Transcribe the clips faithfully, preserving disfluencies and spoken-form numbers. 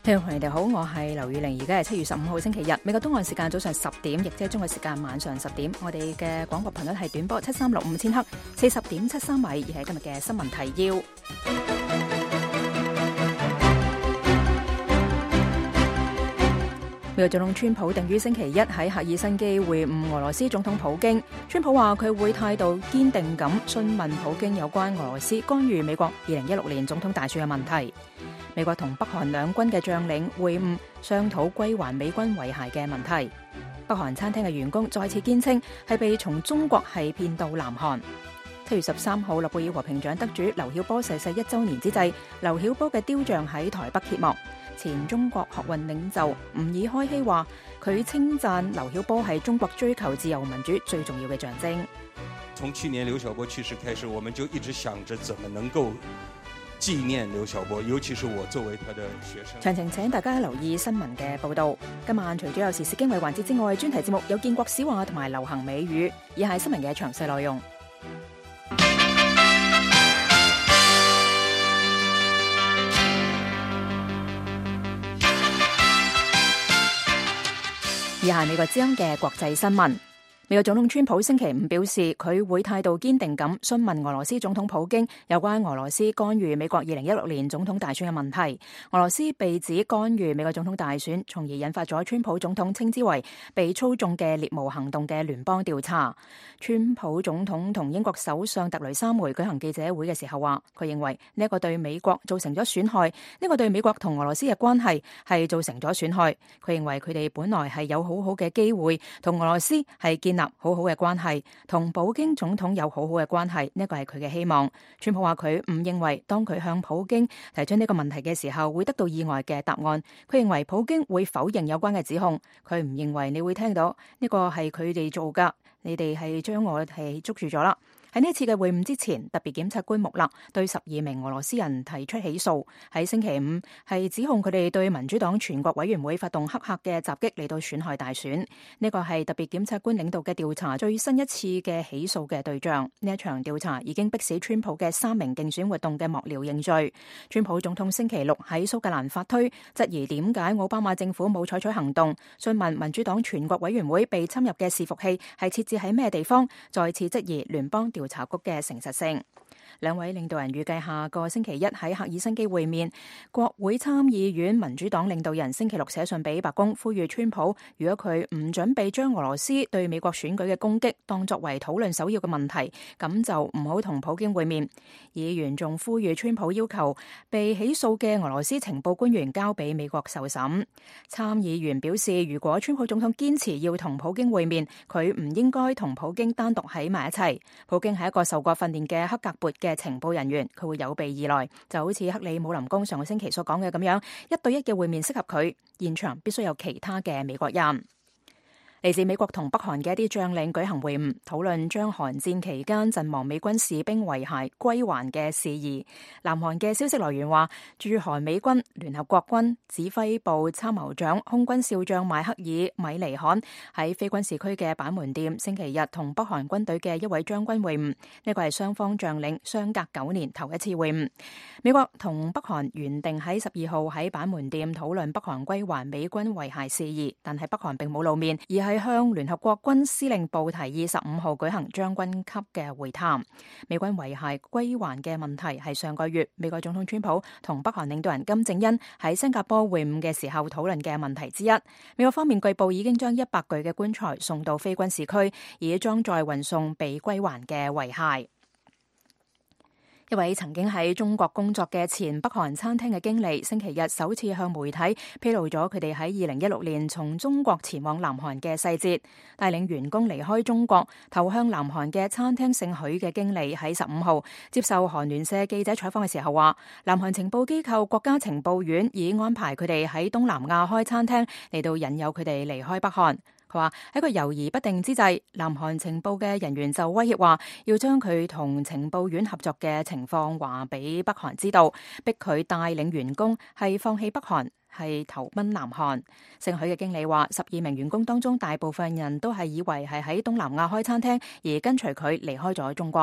聽眾朋友哋好，我係劉宇玲，而家係七月十五號星期日，美國東岸時間早上十點，亦即係中國時間晚上十點。我哋嘅廣播頻率係短波七三六五千赫，四十點七三米，而係今日嘅新聞提要。美國總統川普定於星期一喺赫爾辛基會晤俄羅斯總統普京。川普話佢會態度堅定咁詢問普京有關俄羅斯干預美國二零一六年總統大選嘅問題。美國同北韓兩軍嘅將領會晤，商討歸還美軍遺骸嘅問題。北韓餐廳嘅員工再次堅稱係被從中國係騙到南韓。七月十三號，諾貝爾和平獎得主劉曉波逝世一週年之際，劉曉波嘅雕像喺台北揭幕。前中國學運領袖吾爾開希話，佢稱讚劉曉波係中國追求自由民主最重要嘅象徵。從去年劉曉波去世開始，我們就一直想着怎麼能夠紀念劉曉波，尤其是我作為他的學生。詳情請大家留意新聞嘅報導。今晚除咗有時事經緯環節之外，專題節目有建國史話同埋流行美語，以下係新聞嘅詳細內容。以下美國之音嘅國際新聞。美國總統川普星期五表示，佢會態度堅定咁詢問俄羅斯總統普京有關俄羅斯干預美國二零一六年總統大選嘅問題。俄羅斯被指干預美國總統大選，從而引發咗川普總統稱之為被操縱嘅獵巫行動嘅聯邦調查。川普總統同英國首相特雷莎梅舉行記者會嘅時候話，佢認為呢一個對美國造成咗損害，呢個對美國同俄羅斯嘅關係係造成咗損害。佢認為佢哋本來係有好好嘅機會同俄羅斯係建立好好嘅關係，同普京總統有好好嘅關係，呢個係佢嘅希望。川普話佢唔認為當佢向普京提出呢個問題嘅時候會得到意外嘅答案。佢認為普京會否認有關嘅指控，佢唔認為你會聽到呢個係佢哋做噶，你哋係將我係捉住咗啦。喺呢次嘅會晤之前，特別檢察官穆勒對十二名俄羅斯人提出起訴，喺星期五係指控佢哋對民主黨全國委員會發動黑客嘅襲擊嚟到損害大選。呢個係特別檢察官領導嘅調查最新一次嘅起訴嘅對象。呢一場調查已經迫使川普嘅三名競選活動嘅幕僚認罪。川普總統星期六喺蘇格蘭發推，質疑點解奧巴馬政府冇採取行動，詢問民主黨全國委員會被侵入嘅伺服器係設置喺咩地方，再次質疑聯邦調查局嘅誠實性。兩位領導人預計下個星期一喺赫爾辛基會面。國會參議院民主黨領導人星期六寫信俾白宮，呼籲川普，如果佢唔準備將俄羅斯對美國選舉嘅攻擊當作為討論首要嘅問題，咁就唔好同普京會面。議員仲呼籲川普要求被起訴嘅俄羅斯情報官員交俾美國受審。參議員表示，如果川普總統堅持要同普京會面，佢唔應該同普京單獨喺埋一齊。普京係一個受過訓練嘅黑格勃嘅情報人員，佢會有備而來，就好似克里姆林宮上個星期所講嘅咁樣，一對一嘅會面適合佢，現場必須有其他嘅美國人。嚟自美國同北韓嘅一啲將領舉行會晤，討論將韓戰期間陣亡美軍士兵遺骸歸還嘅事宜。南韓嘅消息來源話，駐韓美軍聯合國軍指揮部參謀長空軍少將邁克爾米尼罕喺非軍事區嘅板門店星期日同北韓軍隊嘅一位將軍會晤，呢個係雙方將領相隔九年頭一次會晤。美國同北韓原定喺十二號喺板門店討論北韓歸還美軍遺骸事宜，但係北韓並冇露面，而係係向聯合國軍司令部提議十五號舉行將軍級嘅會談。美軍遺骸歸還嘅問題係上個月美國總統川普同北韓領導人金正恩喺新加坡會晤嘅時候討論嘅問題之一。美國方面據報已經將一百具嘅棺材送到非軍事區，以裝載運送被歸還嘅遺骸。一位曾經喺中國工作嘅前北韓餐廳嘅經理，星期日首次向媒體披露咗佢哋喺二零一六年從中國前往南韓嘅細節。帶領員工離開中國投向南韓嘅餐廳姓許嘅經理喺十五號接受韓聯社記者採訪嘅時候話，南韓情報機構國家情報院已安排佢哋喺東南亞開餐廳嚟到引誘佢哋離開北韓。佢話喺個猶豫不定之際，南韓情報嘅人員就威脅話要將佢同情報院合作嘅情況話俾北韓知道，逼佢帶領員工係放棄北韓，係投奔南韓。姓許嘅經理話，十二名員工當中大部分人都係以為係喺東南亞開餐廳，而跟隨佢離開咗中國。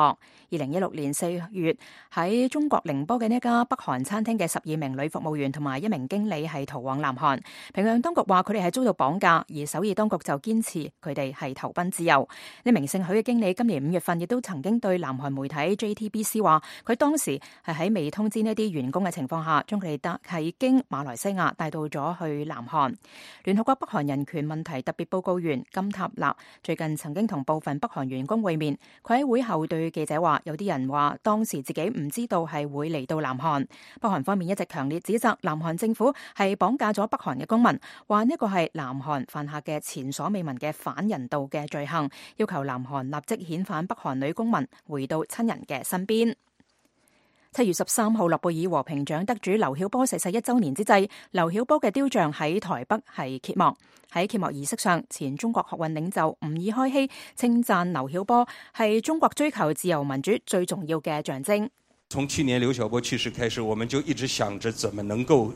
二零一六年四月喺中國寧波嘅呢家北韓餐廳嘅十二名女服務員同埋一名經理係逃往南韓。平壤當局話佢哋係遭到綁架，而首爾當局就堅持佢哋係投奔自由。呢名姓許嘅經理今年五月份亦都曾經對南韓媒體 J T B C 話，佢當時係喺未通知呢啲員工嘅情況下，將佢哋帶係經馬來西亞帶到咗去南韓。聯合國北韓人權問題特別報告員金塔納最近曾經同部分北韓員工會面，佢喺會後對記者話，有啲人話當時自己唔知道係會嚟到南韓。北韓方面一直強烈指責南韓政府係綁架咗北韓嘅公民，話呢個係南韓犯下嘅前所未聞嘅反人道嘅罪行，要求南韓立即遣返北韓女公民回到親人嘅身邊。七月十三號，諾貝爾和平獎得主劉曉波逝世一周年之際，劉曉波嘅雕像喺台北係揭幕。喺揭幕儀式上，前中國學運領袖吾爾開希稱讚劉曉波係中國追求自由民主最重要嘅象徵。從去年劉曉波去世開始，我們就一直想着怎麼能夠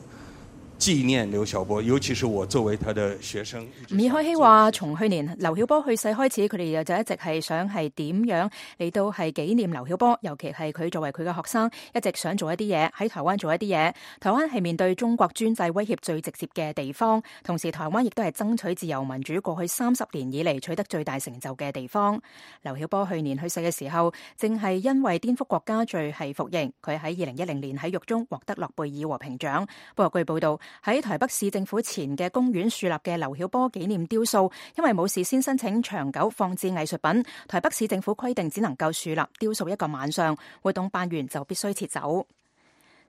紀念劉曉波，尤其是我作為他的學生。吾爾開希話，從去年劉曉波去世開始，佢哋就一直係想係點樣嚟到係紀念劉曉波，尤其係佢作為佢嘅學生，一直想做一啲嘢喺台灣做一啲嘢。台灣係面對中國專制威脅最直接嘅地方，同時台灣亦都係爭取自由民主過去三十年以嚟取得最大成就嘅地方。劉曉波去年去世嘅時候，正係因為顛覆國家罪係服刑，佢喺二零一零年喺獄中獲得諾貝爾和平獎。不過據報道，喺台北市政府前嘅公園樹立嘅劉曉波紀念雕塑，因為冇事先申請長久放置藝術品，台北市政府規定只能夠樹立雕塑一個晚上，活動辦完就必須撤走。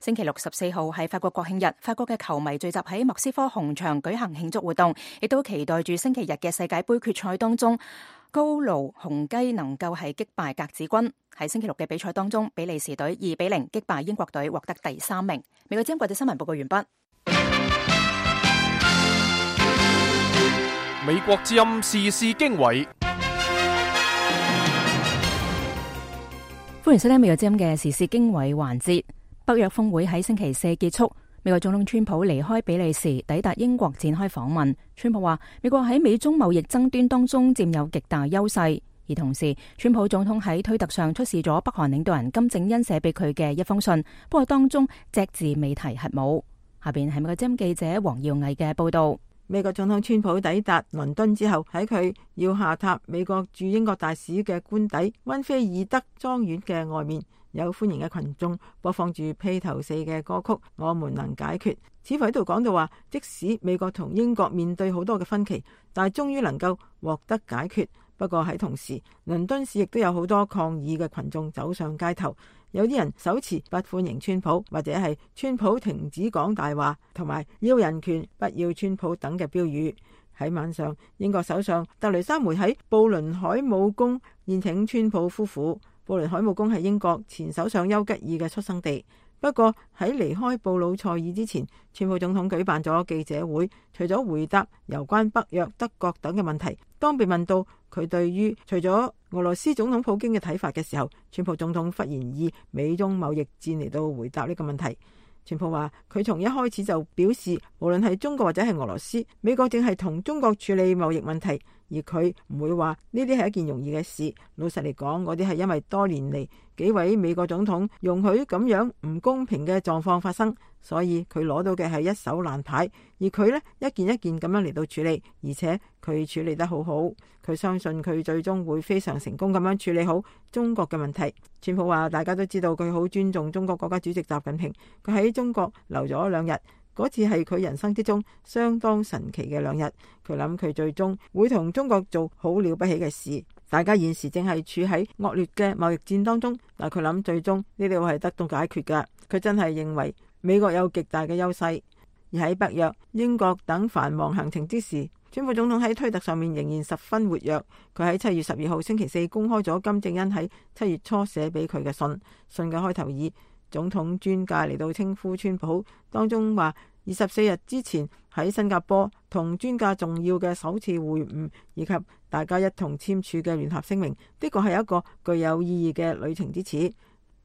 星期六十四號係法國國慶日，法國嘅球迷聚集喺莫斯科紅場舉行慶祝活動，亦都期待住星期日嘅世界盃決賽當中，高盧紅雞能夠係擊敗格子軍。喺星期六嘅比賽當中，比利時隊二比零擊敗英國隊，獲得第三名。美國之音國際新聞報告完畢。美國之音時事經緯，歡迎收聽美國之音嘅時事經緯環節。北約峰會喺星期四結束，美國總統川普離開比利時，抵達英國展開訪問。川普話，美國喺美中貿易爭端當中佔有極大優勢，而同時，川普總統喺推特上出示咗北韓領導人金正恩寫俾佢嘅一封信，不過當中隻字未提核武。下邊係美國之音記者黃耀毅嘅報道。美國總統川普抵達倫敦之後，喺佢要下榻美國駐英國大使嘅官邸溫菲爾德莊園嘅外面，有歡迎嘅群眾播放住披頭四嘅歌曲《我們能解決》，似乎喺度講到話，即使美國同英國面對好多嘅分歧，但係終於能夠獲得解決。不過喺同時，倫敦市亦都有好多抗議嘅群眾走上街頭，有啲人手持不歡迎川普，或者係川普停止講大話，同埋要人權不要川普等嘅標語。喺晚上，英國首相特蕾莎梅喺布倫海姆宮宴請川普夫婦。布倫海姆宮係英國前首相丘吉爾嘅出生地。不過喺離開布魯塞爾之前，川普總統舉辦咗記者會，除咗回答有關北約、德國等嘅問題，當被問到佢對於除咗俄羅斯總統普京嘅睇法嘅時候，川普總統忽然以美中貿易戰嚟到回答呢個問題。川普話佢從一開始就表示，無論係中國或者係俄羅斯，美國正係同中國處理貿易問題，而佢唔會話呢啲係一件容易嘅事。老實嚟講，嗰啲係因為多年嚟幾位美國總統容許咁樣唔公平嘅狀況發生，所以佢攞到嘅係一手爛牌，而佢呢，一件一件咁樣嚟到處理，而且佢處理得好好。佢相信佢最終會非常成功咁樣處理好中國嘅問題。川普話大家都知道佢好尊重中國國家主席習近平，佢喺中國留咗兩日，嗰次係佢人生之中相當神奇嘅兩日。佢諗佢最終會同中國做好了不起嘅事。大家現時正係處喺惡劣嘅貿易戰當中，但佢諗最終呢啲會係得到解決㗎。佢真係認為美國有極大嘅優勢。而喺北約、英國等繁忙行程之時，川普總統喺推特上面仍然十分活躍。佢喺七月十二號星期四公開咗金正恩喺七月初寫俾佢嘅信，信嘅開頭以總統尊駕嚟到稱呼川普，當中話二十四日之前喺新加坡同尊駕重要嘅首次會晤，以及大家一同簽署嘅聯合聲明，的確係一個具有意義嘅旅程之始。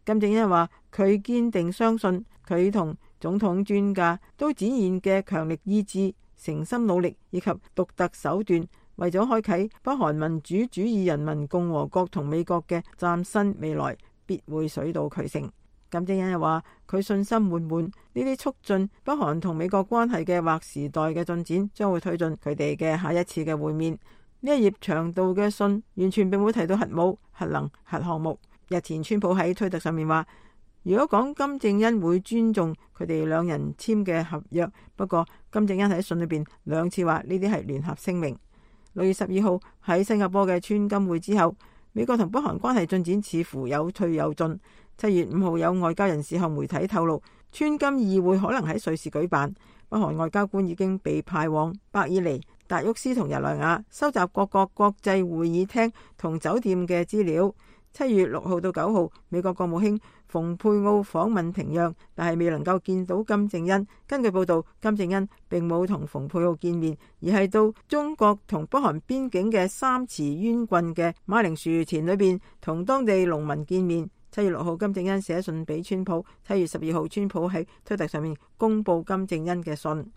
金正恩話佢堅定相信佢同總統專家都展現嘅強力意志、誠心努力以及獨特手段，為咗開啟北韓民主主義人民共和國同美國嘅嶄新未來，必會水到渠成。金正恩又話佢信心滿滿，呢啲促進北韓同美國關係嘅劃時代嘅進展，將會推進佢哋嘅下一次嘅會面。呢一頁長度嘅信完全並冇提到核武、核能、核項目。日前川普喺推特上面話，如果講金正恩會尊重佢哋兩人簽嘅合約，不過金正恩喺信裏邊兩次話呢啲係聯合聲明。六月十二號喺新加坡嘅川金會之後，美國同北韓關係進展似乎有退有進。七月五號有外交人士向媒體透露，川金議會可能喺瑞士舉辦，北韓外交官已經被派往伯爾尼、達沃斯同日內瓦收集各國國際會議廳同酒店嘅資料。七月六號到九號，美國國務卿蓬佩奧訪問平壤，但係未能夠見到金正恩。根據報道，金正恩並冇同蓬佩奧見面，而係到中國同北韓邊境嘅三池淵郡嘅馬鈴薯田裏邊同當地農民見面。七月六號，金正恩寫信俾川普。七月十二號，川普喺推特上面公布金正恩嘅信。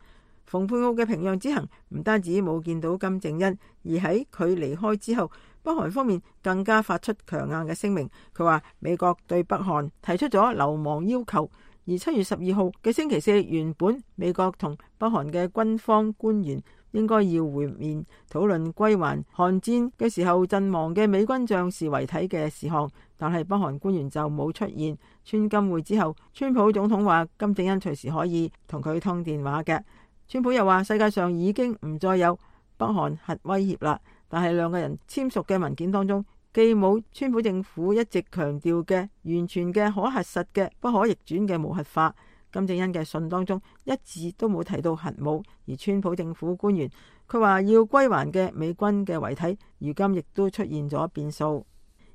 蓬佩奧嘅平壤之行唔單止冇見到金正恩，而喺佢離開之後，北韓方面更加發出強硬嘅聲明。佢話美國對北韓提出咗流亡要求。而七月十二號嘅星期四，原本美國同北韓嘅軍方官員應該要會面，討論歸還韓戰嘅時候陣亡嘅美軍將士遺體嘅事項，但係北韓官員就冇出現。川金會之後，川普總統話金正恩隨時可以同佢通電話嘅。川普又話世界上已經唔再有北韓核威脅啦，但係兩個人簽署嘅文件當中，既冇川普政府一直強調嘅完全嘅可核實嘅不可逆轉嘅無核化。金正恩嘅信當中一字都冇提到核武，而川普政府官員佢話要歸還嘅美軍嘅遺體，如今亦都出現咗變數。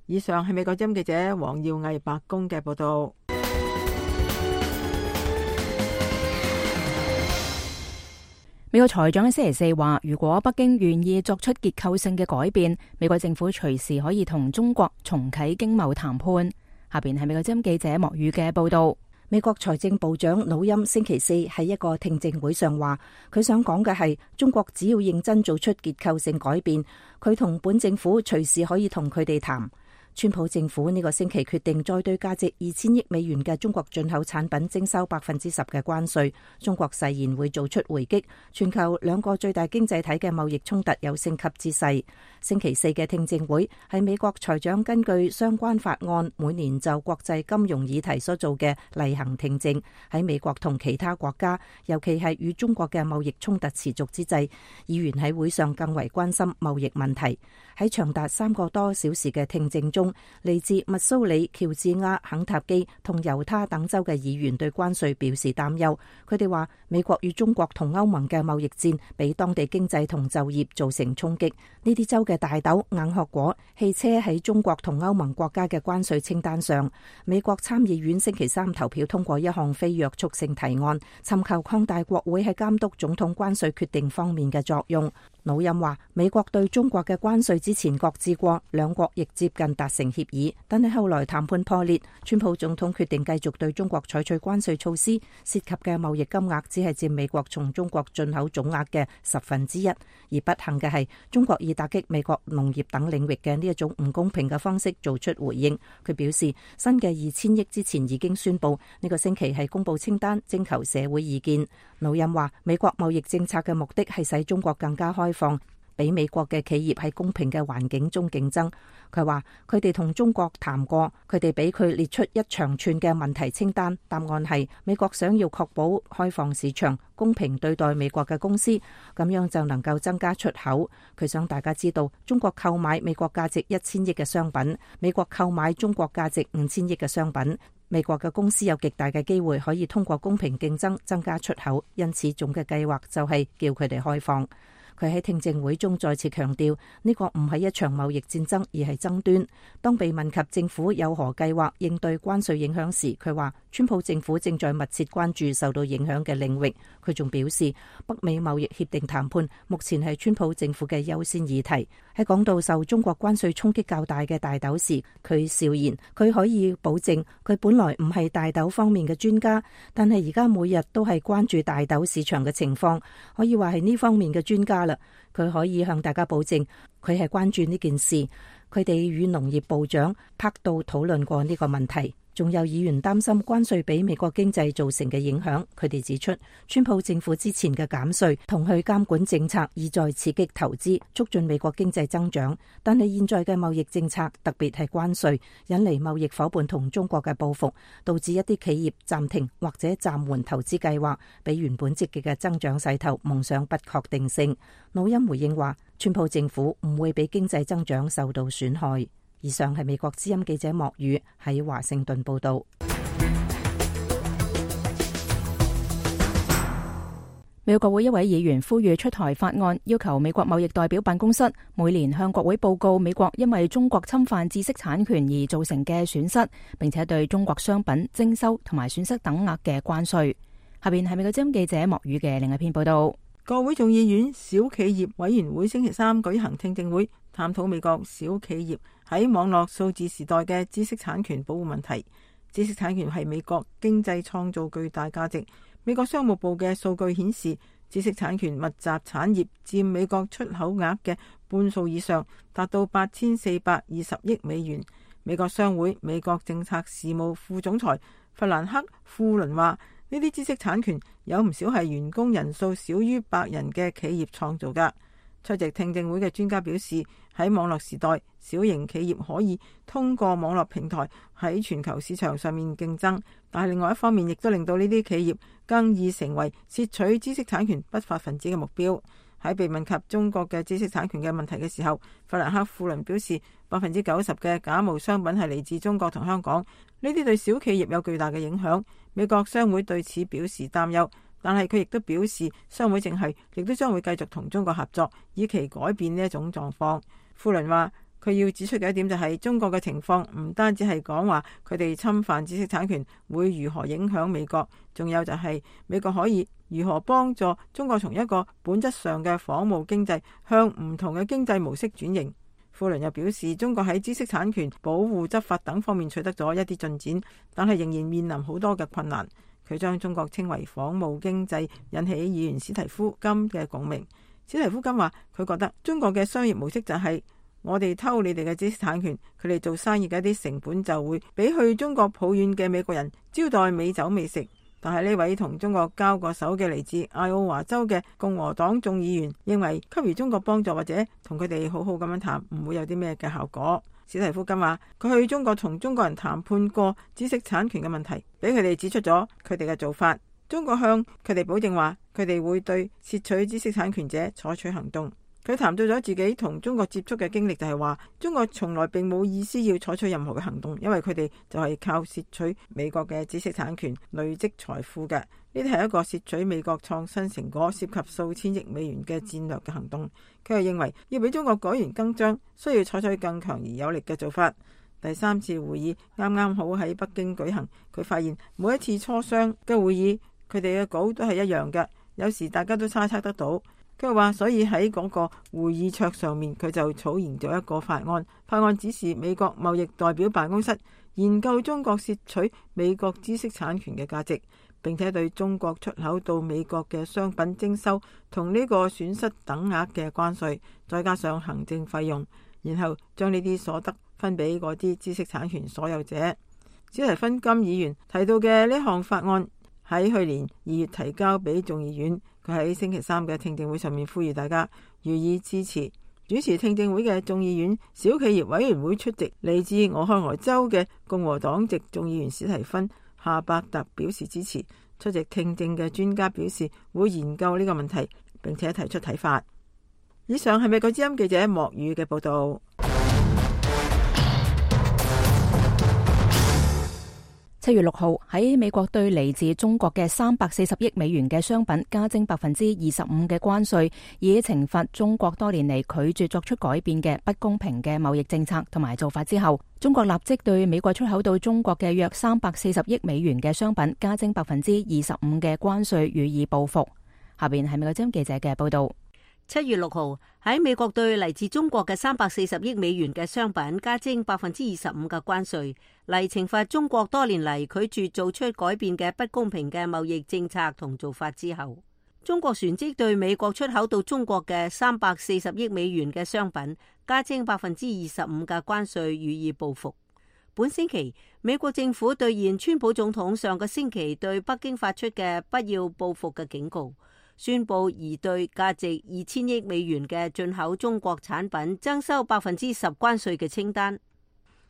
以上係美國之音記者黃耀毅白宮嘅報道。美國財長喺星期四話，如果北京願意作出結構性嘅改變，美國政府隨時可以同中國重啟經貿談判。下邊係美國之音記者莫宇嘅報道。美國財政部長努欽星期四喺一個聽證會上話，佢想講嘅係中國只要認真做出結構性改變，佢同本政府隨時可以同佢哋談。川普政府呢個星期決定再對價值二千億美元嘅中國進口產品徵收百分之十嘅關稅，中國誓言會做出回擊。全球兩個最大經濟體嘅貿易衝突有升級之勢。星期四嘅聽證會係美國財長根據相關法案每年就國際金融議題所做嘅例行聽證。喺美國同其他國家，尤其係與中國嘅貿易衝突持續之際，議員喺會上更為關心貿易問題。喺長達三個多小時嘅聽證中，嚟自密蘇里、喬治亞、肯塔基同猶他等州嘅議員對關稅表示擔憂。佢哋話美國與中國同歐盟嘅貿易戰俾當地經濟同就業造成衝擊。呢啲州嘅大豆、硬殼果、汽車喺中國同歐盟國家嘅關稅清單上。美國參議院星期三投票通過一項非約束性提案，尋求擴大國會喺監督總統關稅決定方面嘅作用。努欽話美國對中國嘅關稅之前擱置過，兩國亦接近達成協議，但係後來談判破裂，川普總統決定繼續對中國採取關稅措施，涉及嘅貿易金額只係佔美國從中國進口總額嘅十分之一。而不幸嘅係，中國以打擊美國農業等領域嘅呢一種唔公平嘅方式做出回應。佢表示，新嘅二千億之前已經宣布，呢個星期係公布清單，徵求社會意見。努欽話，美國貿易政策嘅目的係使中國更加開放，俾美國嘅企業喺公平嘅環境中競爭。佢話佢哋同中國談過，佢哋俾佢列出一長串嘅問題清單，答案係美國想要確保開放市場，公平對待美國嘅公司，咁樣就能夠增加出口。佢想大家知道，中國購買美國價值一千億嘅商品，美國購買中國價值五千億嘅商品，美國嘅公司有極大嘅機會可以通過公平競爭增加出口，因此總嘅計劃就係叫佢哋開放。佢喺聽證會中再次強調，呢個唔係一場貿易戰爭，而係爭端。當被問及政府有何計劃應對關稅影響時，佢話川普政府正在密切關注受到影響嘅領域。佢仲表示，北美貿易協定談判目前係川普政府嘅優先議題。喺講到受中國關稅衝擊較大嘅大豆時，佢笑言佢可以保證佢本來唔係大豆方面嘅專家，但係而家每日都係關注大豆市場嘅情況，可以話係呢方面嘅專家啦。佢可以向大家保證佢係關注呢件事。佢哋與農業部長柏杜討論過呢個問題。仲有議員擔心關稅俾美國經濟造成嘅影響。佢哋指出，川普政府之前嘅減稅同去監管政策意在刺激投資，促進美國經濟增長。但係現在嘅貿易政策，特別係關稅，引嚟貿易夥伴同中國嘅報復，導致一啲企業暫停或者暫緩投資計劃，俾原本積極嘅增長勢頭蒙上不確定性。努欽回應話，川普政府唔會俾經濟增長受到損害。以上係美國之音記者莫宇喺華盛頓報道。美國國會一位議員呼籲出台法案，要求美國貿易代表辦公室每年向國會報告美國因為中國侵犯知識產權而造成嘅損失，並且對中國商品徵收同埋損失等額嘅關稅。下邊係美國之音記者莫宇嘅另一篇報道。國會眾議院小企業委員會星期三舉行聽證會，探討美國小企業喺網絡數字時代嘅知識產權保護問題。知識產權係美國經濟創造巨大價值。美國商務部嘅數據顯示，知識產權密集產業佔美國出口額嘅半數以上，達到八千四百二十億美元。美國商會美國政策事務副總裁弗蘭克富倫話，呢啲知識產權有唔少係員工人數少於百人嘅企業創造㗎。出席聽證會嘅專家表示，喺網絡時代，小型企業可以通過網絡平台喺全球市場上面競爭，但係另外一方面亦都令到呢啲企業更易成為竊取知識產權不法分子嘅目標。喺被問及中國嘅知識產權嘅問題嘅時候，弗蘭克富倫表示，百分之九十嘅假冒商品係嚟自中國同香港，呢啲對小企業有巨大嘅影響。美國商會對此表示擔憂，但係佢亦都表示，商會正係亦都將會繼續同中國合作，以期改變呢一種狀況。富倫話，佢要指出嘅一點就係、是、中國嘅情況唔單止係講話佢哋侵犯知識產權會如何影響美國，仲有就係美國可以如何幫助中國從一個本質上嘅仿冒經濟向唔同嘅經濟模式轉型。富倫又表示，中國喺知識產權保護執法等方面取得咗一啲進展，但係仍然面臨好多嘅困難。佢將中國稱為仿冒經濟，引起議員史提夫金嘅共鳴。史提夫金話，佢覺得中國嘅商業模式就係、是、我哋偷你哋嘅知識產權，佢哋做生意嘅一啲成本就會比去中國抱怨嘅美國人招待美酒美食。但係呢位同中國交過手嘅嚟自艾奧華州嘅共和黨眾議員認為，給予中國幫助或者同佢哋好好咁樣談，唔會有啲咩嘅效果。史提夫金話，佢去中國同中國人談判過知識產權嘅問題，俾佢哋指出咗佢哋嘅做法。中國向佢哋保證話，佢哋會對竊取知識產權者採取行動。佢談到咗自己同中國接觸嘅經歷，就係話中國從來並冇意思要採取任何嘅行動，因為佢哋就係靠竊取美國嘅知識產權累積財富嘅。呢啲係一個竊取美國創新成果涉及數千億美元嘅戰略嘅行動。佢又認為要俾中國改弦更張，需要採取更強而有力嘅做法。第三次會議啱啱好喺北京舉行，佢發現每一次磋商嘅會議，佢哋嘅稿都係一樣嘅，有時大家都猜測得到。佢話，所以喺嗰個會議桌上面，佢就草擬咗一個法案。法案指示美國貿易代表辦公室研究中國竊取美國知識產權嘅價值，並且對中國出口到美國嘅商品徵收同呢個損失等額嘅關稅，再加上行政費用，然後將呢啲所得分俾嗰啲知識產權所有者。史提芬金議員提到嘅呢項法案喺去年二月提交俾眾議院。佢喺星期三嘅聽證會上面呼籲大家予以支持。主持聽證會嘅眾議院小企業委員會出席嚟自俄亥俄州嘅共和黨籍眾議員史提芬夏伯特表示支持。出席聽證嘅專家表示會研究呢個問題，並且提出睇法。以上係美國之音記者莫宇嘅報道。七月六號喺美國對嚟自中國嘅三百四十億美元嘅商品加徵百分之二十五嘅關稅，以懲罰中國多年嚟拒絕作出改變嘅不公平嘅貿易政策同埋做法之後，中國立即對美國出口到中國嘅約三百四十億美元嘅商品加徵百分之二十五嘅關稅予以報復。下邊係美國之音記者嘅報道。七月六號喺美國對嚟自中國嘅三百四十億美元嘅商品加徵百分之二十五嘅關稅，嚟懲罰中國多年嚟拒絕做出改變嘅不公平嘅貿易政策同做法之後，中國旋即對美國出口到中國嘅三百四十億美元嘅商品加徵百分之二十五嘅關稅予以報復。本星期，美國政府兌現川普總統上個星期對北京發出嘅不要報復嘅警告，宣布擬對價值二千億美元嘅進口中國產品徵收百分之十關稅嘅清單。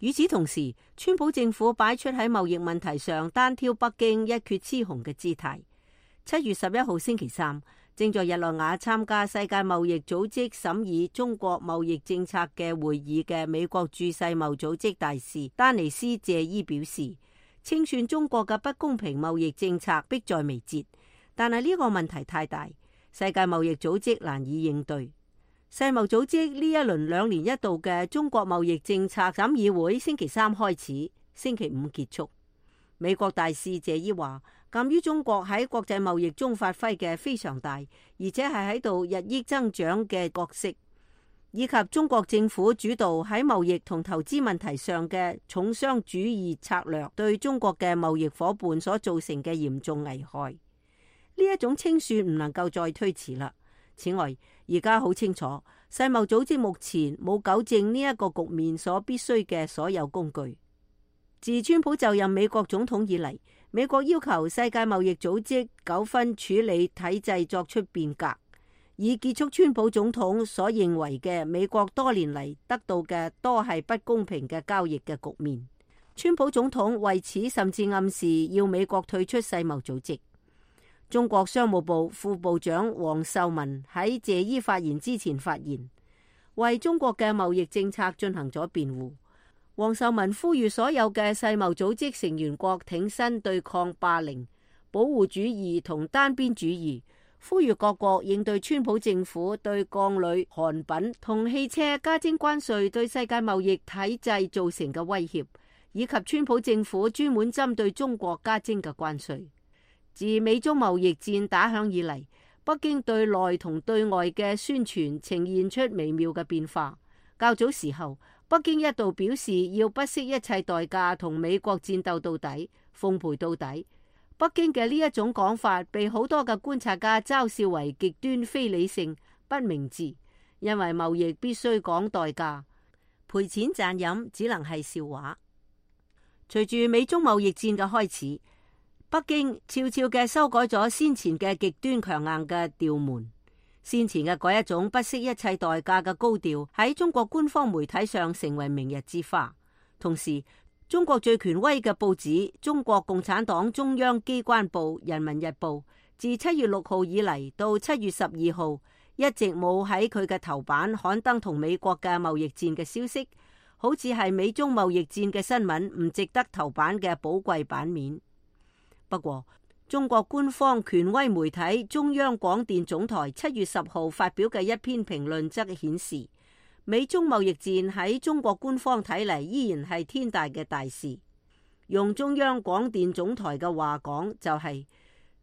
與此同時，川普政府擺出喺貿易問題上單挑北京一決雌雄嘅姿態。七月十一號星期三，正在日內瓦參加世界貿易組織審議中國貿易政策嘅會議嘅美國駐世貿組織大使丹尼斯謝伊表示，清算中國嘅不公平貿易政策迫在眉睫。但係呢個問題太大，世界貿易組織難以應對。世貿組織呢一輪兩年一度嘅中國貿易政策審議會星期三開始，星期五結束。美國大使謝伊話，鑒於中國喺國際貿易中發揮嘅非常大，而且係喺度日益增長嘅角色，以及中國政府主導喺貿易同投資問題上嘅重商主義策略對中國嘅貿易夥伴所造成嘅嚴重危害。呢一種清算唔能夠再推遲啦。此外，而家好清楚，世貿組織目前冇糾正呢一個局面所必須嘅所有工具。自川普就任美國總統以嚟，美國要求世界貿易組織糾紛處理體制作出變革，以結束川普總統所認為嘅美國多年嚟得到嘅多係不公平嘅交易嘅局面。川普總統為此甚至暗示要美國退出世貿組織。中國商務部副部長王受文喺謝伊發言之前發言，為中國嘅貿易政策進行咗辯護。王受文呼籲所有嘅世貿組織成員國挺身對抗霸凌、保護主義同單邊主義，呼籲各國應對川普政府對鋼鋁、韓品同汽車加徵關稅對世界貿易體制造成嘅威脅，以及川普政府專門針對中國加徵嘅關稅。自美中貿易戰打響以嚟，北京對內同對外嘅宣傳呈現出微妙嘅變化。較早時候，北京一度表示要不惜一切代價同美國戰鬥到底、奉陪到底。北京嘅呢一種講法被好多嘅觀察家嘲笑為極端非理性、不明智，因為貿易必須講代價，賠錢賺飲只能係笑話。隨住美中貿易戰嘅開始，北京悄悄嘅修改咗先前嘅極端強硬嘅調門，先前嘅嗰一種不惜一切代價嘅高調喺中國官方媒體上成為明日之花。同時，中國最權威嘅報紙中國共產黨中央機關報《人民日報》自七月六號以嚟到七月十二號，一直冇喺佢嘅頭版刊登同美國嘅貿易戰嘅消息，好似係美中貿易戰嘅新聞唔值得頭版嘅寶貴版面。不過，中國官方權威媒體中央廣電總台七月十號發表嘅一篇評論則顯示，美中貿易戰喺中國官方睇嚟依然係天大嘅大事。用中央廣電總台嘅話講，就係、是、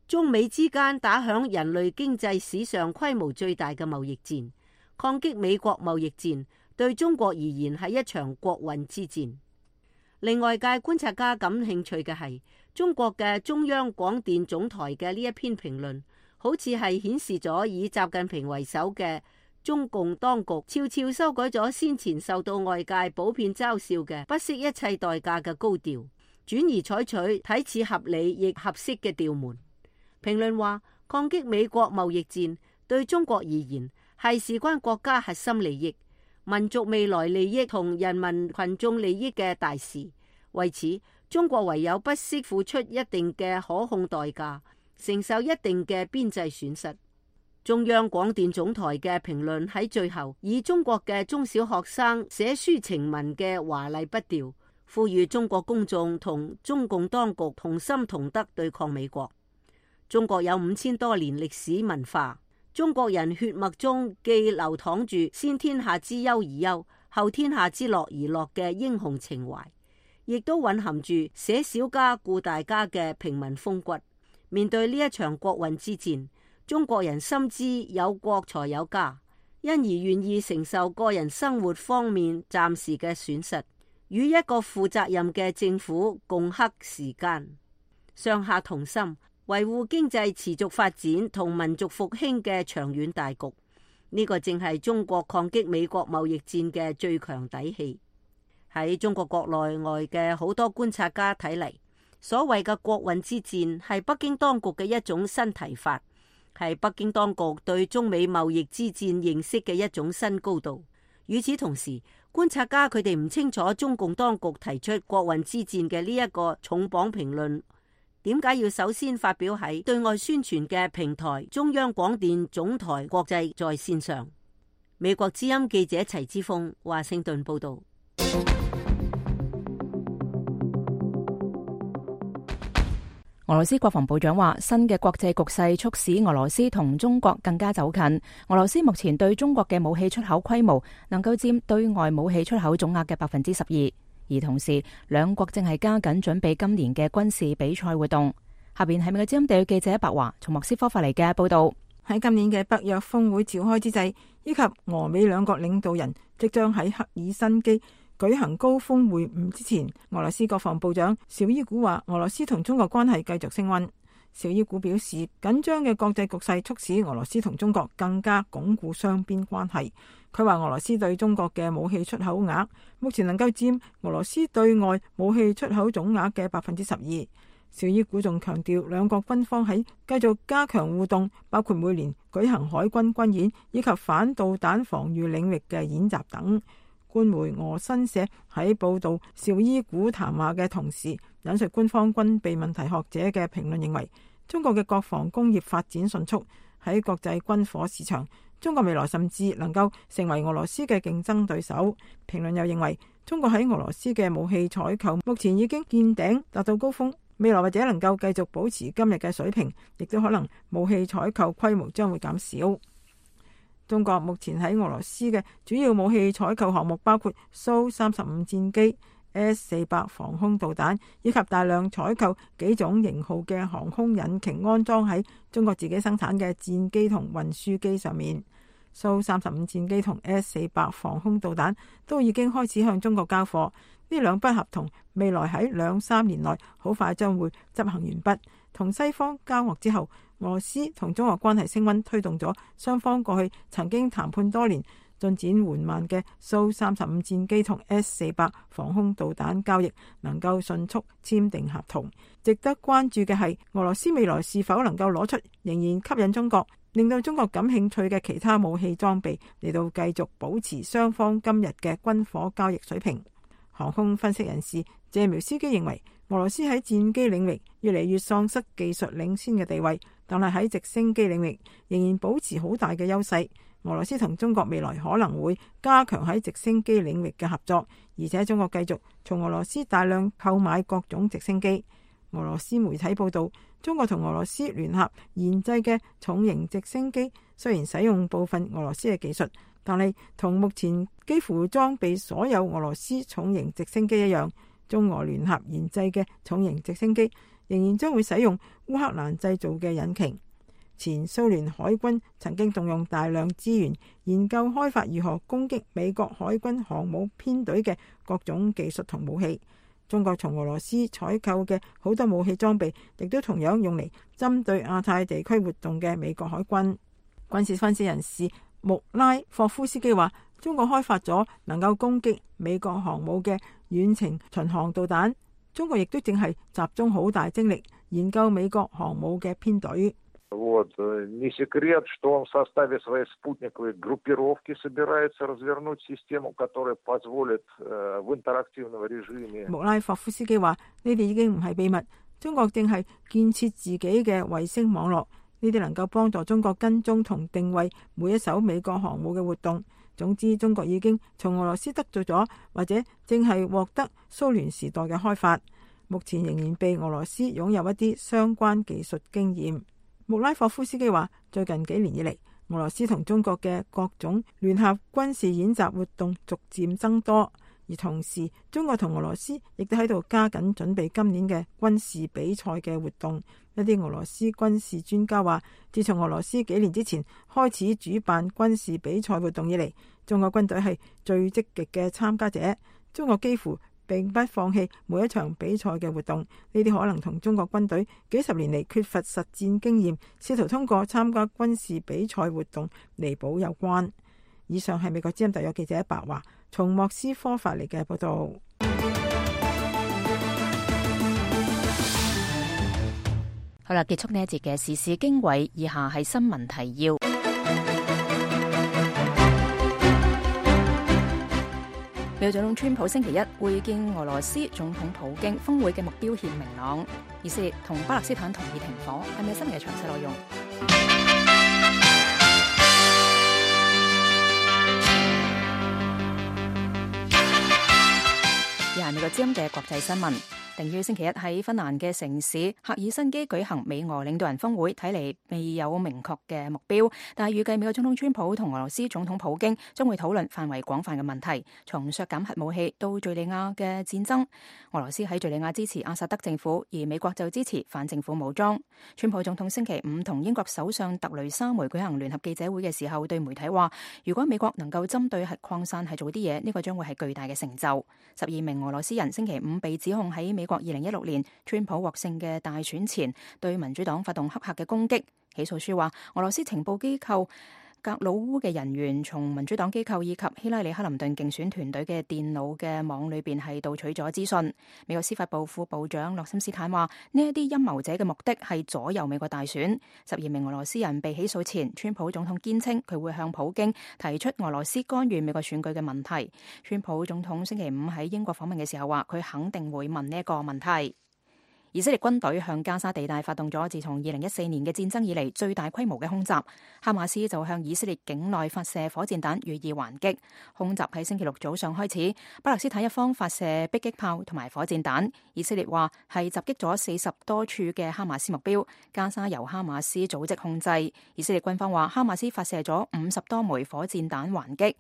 中美之間打響人類經濟史上規模最大嘅貿易戰，抗擊美國貿易戰對中國而言係一場國運之戰。令外界觀察家感興趣嘅係，中國嘅中央廣電總台嘅呢一篇評論，好似係顯示咗以習近平為首嘅中共當局悄悄修改咗先前受到外界普遍嘲笑嘅不惜一切代價嘅高調，轉而採取睇似合理亦合適嘅調門。評論話，抗擊美國貿易戰對中國而言係事關國家核心利益、民族未來利益同人民群眾利益嘅大事。為此，中國唯有不惜付出一定嘅可控代價，承受一定嘅邊際損失。中央廣電總台嘅評論喺最後以中國嘅中小學生寫抒情文嘅華麗筆調，呼籲中國公眾同中共當局同心同德對抗美國。中國有五千多年歷史文化，中國人血脈中既流淌住先天下之憂而憂，後天下之樂而樂嘅英雄情懷，亦都蘊含住捨小家顧大家嘅平民風骨。面對呢一場國運之戰，中國人深知有國才有家，因而願意承受個人生活方面暫時嘅損失，與一個負責任嘅政府共克時艱，上下同心，維護經濟持續發展同民族復興嘅長遠大局。呢個正係中國抗擊美國貿易戰嘅最強底氣。喺中國國內外嘅好多觀察家睇嚟，所謂嘅國運之戰係北京當局嘅一種新提法，係北京當局對中美貿易之戰認識嘅一種新高度。與此同時，觀察家佢哋唔清楚中共當局提出國運之戰嘅呢一個重磅評論，點解要首先發表喺對外宣傳嘅平台中央廣電總台國際在線上？美國之音記者齊之鋒華盛頓報道。俄羅斯國防部長話，新嘅國際局勢促使俄羅斯同中國更加走近。俄羅斯目前對中國嘅武器出口規模能夠佔對外武器出口總額嘅百分之十二，而同時兩國正係加緊準備今年嘅軍事比賽活動。下邊係美國之音地記者白華從莫斯科發嚟嘅報道。喺今年嘅北約峰會召開之際，以及俄美兩國領導人即將喺赫爾辛基舉行高峰會晤之前，俄羅斯國防部長紹伊古話，俄羅斯同中國關係繼續升溫。紹伊古表示，緊張嘅國際局勢促使俄羅斯同中國更加鞏固雙邊關係。佢話俄羅斯對中國嘅武器出口額目前能夠佔俄羅斯對外武器出口總額嘅百分之十二。紹伊古仲強調，兩國軍方喺繼續加強互動，包括每年舉行海軍軍演以及反導彈防禦領域嘅演習等。官媒俄新社喺報道紹伊古談話嘅同時，引述官方軍備問題學者嘅評論，認為中國嘅國防工業發展迅速，喺國際軍火市場，中國未來甚至能夠成為俄羅斯嘅競爭對手。評論又認為，中國喺俄羅斯嘅武器採購目前已經見頂，達到高峰，未來或者能夠繼續保持今日嘅水平，亦都可能武器採購規模將會減少。中國目前喺俄羅斯嘅主要武器採購項目包括蘇三十五戰機、S 四百防空導彈，以及大量採購幾種型號嘅航空引擎安裝喺中國自己生產嘅戰機同運輸機上面。蘇三十五戰機同 S 四百防空導彈都已經開始向中國交貨，呢兩筆合同未來喺兩三年內好快將會執行完畢。同西方交惡之後，俄羅斯同中國關係升溫，推動咗雙方過去曾經談判多年、進展緩慢嘅蘇三十五戰機同 S 四百防空導彈交易能夠迅速簽訂合同。值得關注嘅係，俄羅斯未來是否能夠攞出仍然吸引中國、令到中國感興趣嘅其他武器裝備，嚟到繼續保持雙方今日嘅軍火交易水平。航空分析人士謝苗斯基認為，俄羅斯喺戰機領域越嚟越喪失技術領先嘅地位，但係喺直升機領域仍然保持好大嘅優勢。俄羅斯同中國未來可能會加強喺直升機領域嘅合作，而且中國繼續從俄羅斯大量購買各種直升機。俄羅斯媒體報道，中國同俄羅斯聯合研製嘅重型直升機雖然使用部分俄羅斯嘅技術，但係同目前幾乎裝備所有俄羅斯重型直升機一樣，中俄聯合研製嘅重型直升機仍然將會使用烏克蘭製造嘅引擎。前蘇聯海軍曾經動用大量資源研究開發如何攻擊美國海軍航母編隊嘅各種技術同武器。中國從俄羅斯採購嘅好多武器裝備，亦都同樣用嚟針對亞太地區活動嘅美國海軍。軍事分析人士穆拉霍夫斯基話，中國開發咗能夠攻擊美國航母嘅遠程巡航導彈，中國亦都正係集中好大精力研究美國航母嘅編隊。Вот. Не секрет, что он в составе своей спутниковой группировки собирается развернуть систему, которая позволит в интерактивном режиме。穆拉霍夫斯基話：呢啲已經唔係秘密，中國正係建設自己嘅衛星網絡，呢啲能夠幫助中國跟蹤同定位每一艘美國航母嘅活動。總之，中國已經從俄羅斯得到咗，或者正係獲得蘇聯時代嘅開發，目前仍然被俄羅斯擁有一啲相關技術經驗。穆拉霍夫斯基話，最近幾年以嚟，俄羅斯同中國嘅各種聯合軍事演習活動逐漸增多，而同時中國同俄羅斯亦都喺度加緊準備今年嘅軍事比賽嘅活動。一啲俄羅斯軍事專家話，自從俄羅斯幾年之前開始主辦軍事比賽活動以嚟，中國軍隊係最積極嘅參加者。中國幾乎並不放棄每一場比賽嘅活動，呢啲可能同中國軍隊幾十年嚟缺乏實戰經驗，試圖通過參加軍事比賽活動彌補有關。以上係美國之音特約記者白華從莫斯科發嚟嘅報道。好啦，結束呢一節嘅時事經緯，以下係新聞提要。美國總統川普星期一會見俄羅斯總統普京，峰會嘅目標顯明朗。以色列同巴勒斯坦同意停火，係咪新嘅詳細內容？以下係美國之音嘅國際新聞。定於星期一喺芬蘭嘅城市赫爾辛基舉行美俄領導人峰會，睇嚟未有明確嘅目標，但係預計美國總統川普同俄羅斯總統普京將會討論範圍廣泛嘅問題，從削減核武器到敘利亞嘅戰爭。俄羅斯喺敘利亞支持阿薩德政府，而美國就支持反政府武裝。川普總統星期五同英國首相特雷莎梅舉行聯合記者會嘅時候，對媒體話，如果美國能夠針對核擴散係做啲嘢，呢個將會係巨大嘅成就。十二名俄羅斯人星期五被指控喺美美國二零一六年川普獲勝嘅大選前對民主黨發動黑客嘅攻擊。起訴書話，俄羅斯情報機構格魯烏嘅人員從民主黨機構以及希拉里克林頓競選團隊嘅電腦嘅網裏邊係盜取咗資訊。美國司法部副部長洛森斯坦話，呢一啲陰謀者嘅目的係左右美國大選。十二名俄羅斯人被起訴前，川普總統堅稱佢會向普京提出俄羅斯干預美國選舉嘅問題。川普總統星期五喺英國訪問嘅時候話，佢肯定會問呢一個問題。以色列軍隊向加沙地帶發動咗自從二零一四年嘅戰爭以嚟最大規模嘅空襲，哈馬斯就向以色列境內發射火箭彈予以還擊。空襲喺星期六早上開始，巴勒斯坦一方發射迫擊炮同埋火箭彈，以色列話係襲擊咗四十多處嘅哈馬斯目標，加沙由哈馬斯組織控制。以色列軍方話哈馬斯發射咗五十多枚火箭彈還擊。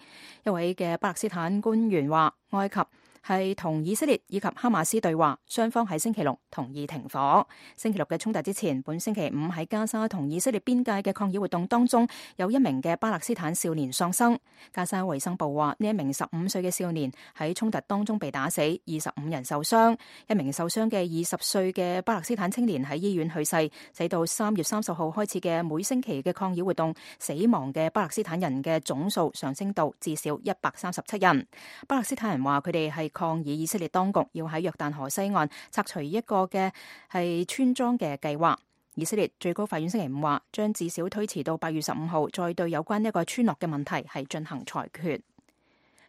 一位嘅巴勒斯坦官員話，埃及係同以色列以及哈馬斯對話，雙方喺星期六同意停火。星期六嘅衝突之前，本星期五喺加沙同以色列邊界嘅抗議活動當中，有一名嘅巴勒斯坦少年喪生。加沙衛生部話，呢一名十五歲嘅少年喺衝突當中被打死，二十五人受傷。一名受傷嘅二十歲嘅巴勒斯坦青年喺醫院去世，使到三月三十號開始嘅每星期嘅抗議活動，死亡嘅巴勒斯坦人嘅總數上升到至少一百三十七人。巴勒斯坦人話佢哋係抗議以色列當局要喺約旦河西岸拆除一個嘅係村莊嘅計劃。以色列最高法院星期五話，將至少推遲到八月十五號再對有關一個村落嘅問題係進行裁決。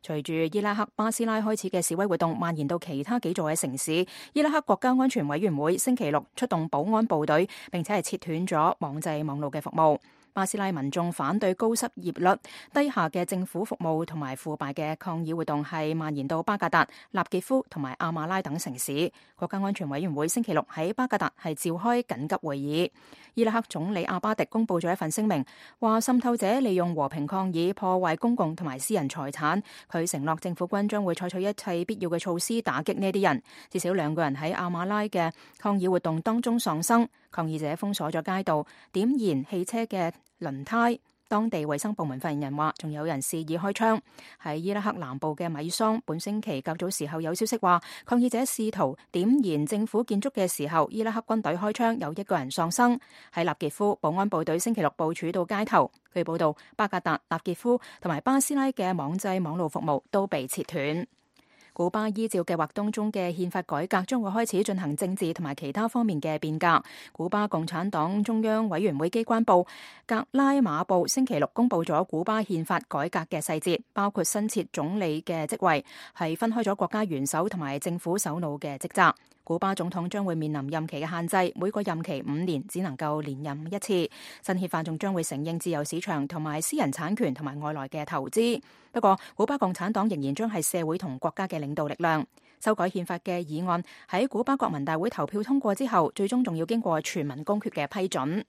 隨住伊拉克巴斯拉開始嘅示威活動蔓延到其他幾座嘅城市，伊拉克國家安全委員會星期六出動保安部隊，並且係切斷咗網際網路嘅服務。巴斯拉民眾反對高失業率、低下嘅政府服務同埋腐敗嘅抗議活動係蔓延到巴格達、納傑夫同埋阿馬拉等城市。國家安全委員會星期六喺巴格達係召開緊急會議。伊拉克總理阿巴迪公布咗一份聲明，話滲透者利用和平抗議破壞公共同埋私人財產。佢承諾政府軍將會採取一切必要嘅措施打擊呢啲人。至少兩個人喺阿馬拉嘅抗議活動當中喪生。抗議者封鎖咗街道，點燃汽車嘅輪胎。當地衛生部門發言人話，仲有人肆意開槍。喺伊拉克南部嘅米桑，本星期較早時候有消息話，抗議者試圖點燃政府建築嘅時候，伊拉克軍隊開槍，有一個人喪生。喺納傑夫，保安部隊星期六部署到街頭。據報道，巴格達、納傑夫同埋巴斯拉嘅網際網路服務都被切斷。古巴依照計劃當中嘅憲法改革，將會開始進行政治同埋其他方面嘅變革。古巴共產黨中央委員會機關報格拉馬報星期六公布咗古巴憲法改革嘅細節，包括新設總理嘅職位，係分開咗國家元首同埋政府首腦嘅職責。古巴總統將會面臨任期嘅限制，每個任期五年，只能夠連任一次。新憲法仲將會承認自由市場同埋私人產權同埋外來嘅投資。不過，古巴共產黨仍然將係社會同國家嘅領導力量。修改憲法嘅議案喺古巴國民大會投票通過之後，最終仲要經過全民公決嘅批准。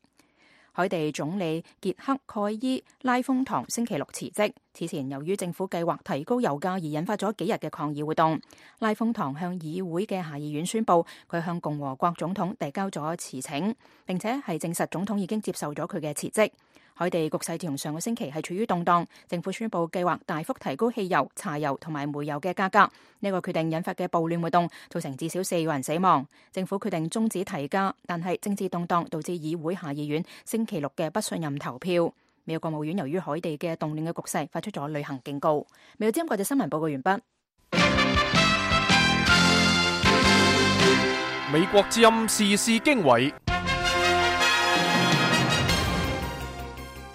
海地總理傑克蓋伊拉豐唐星期六辭職。此前由於政府計劃提高油價而引發咗幾日嘅抗議活動，拉豐唐向議會嘅下議院宣布，佢向共和國總統遞交咗辭請，並且係證實總統已經接受咗佢嘅辭職。海地局勢自從上個星期係處於動盪，政府宣布計劃大幅提高汽油、柴油同埋煤油嘅價格。呢個決定引發嘅暴亂活動造成至少四個人死亡。政府決定終止提價，但係政治動盪導致議會下議院星期六嘅不信任投票。美國國務院由於海地嘅動亂嘅局勢，發出咗旅行警告。美國之音國際新聞報告完畢。美國之音時事經緯。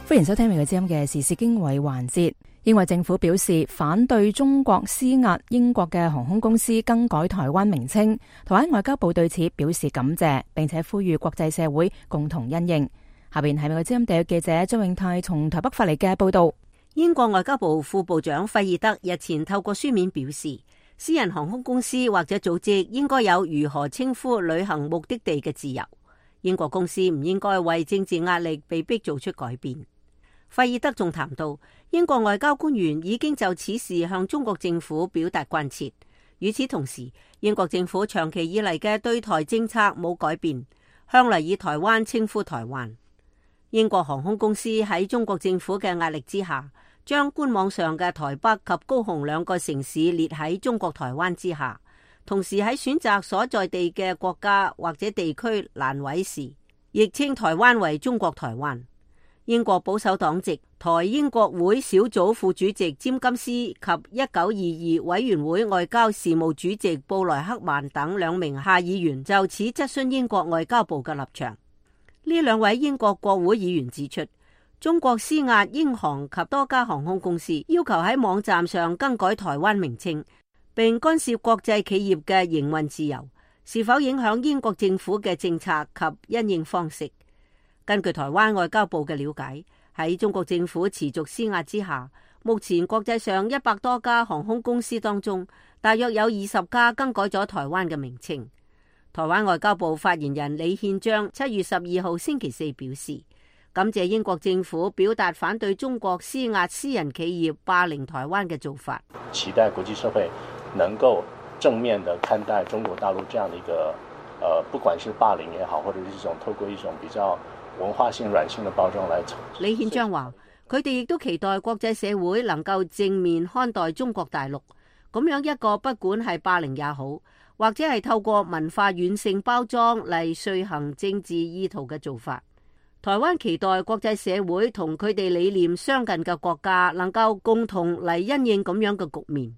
歡迎收聽美國之音嘅時事經緯環節。英國政府表示反對中國施壓英國嘅航空公司更改台灣名稱，台灣外交部對此表示感謝，並且呼籲國際社會共同因應。下邊係美國之音特約記者張永泰從台北發嚟嘅報道。英國外交部副部長費爾德日前透過書面表示，私人航空公司或者組織應該有如何稱呼旅行目的地嘅自由。英國公司唔應該為政治壓力被迫做出改變。費爾德仲談到，英國外交官員已經就此事向中國政府表達關切。與此同時，英國政府長期以嚟嘅對台政策冇改變，向來以台灣稱呼台灣。英國航空公司喺中國政府嘅壓力之下，將官網上嘅台北及高雄兩個城市列喺中國台灣之下，同時喺選擇所在地嘅國家或者地區欄位時，亦稱台灣為中國台灣。英國保守黨籍台英國會小組副主席詹金斯及一九二二委員會外交事務主席布萊克曼等兩名下議員就此質詢英國外交部嘅立場。呢兩位英國國會議員指出，中國施壓英航及多家航空公司，要求喺網站上更改台灣名稱，並干涉國際企業嘅營運自由，是否影響英國政府嘅政策及因應方式。根據台灣外交部嘅了解，喺中國政府持續施壓之下，目前國際上一百多家航空公司當中，大約有二十家更改咗台灣嘅名稱。台灣外交部發言人李憲章七月十二號星期四表示，感謝英國政府表達反對中國施壓私人企業霸凌台灣嘅做法，期待國際社會能夠正面地看待中國大陸這樣的一個，呃，不管是霸凌也好，或者是一種透過一種比較文化性軟性的包裝來。李憲章話，佢哋亦都期待國際社會能夠正面看待中國大陸，咁樣一個不管係霸凌也好，或者係透過文化軟性包裝嚟遂行政治意圖嘅做法。台灣期待國際社會同佢哋理念相近嘅國家能夠共同嚟因應咁樣嘅局面。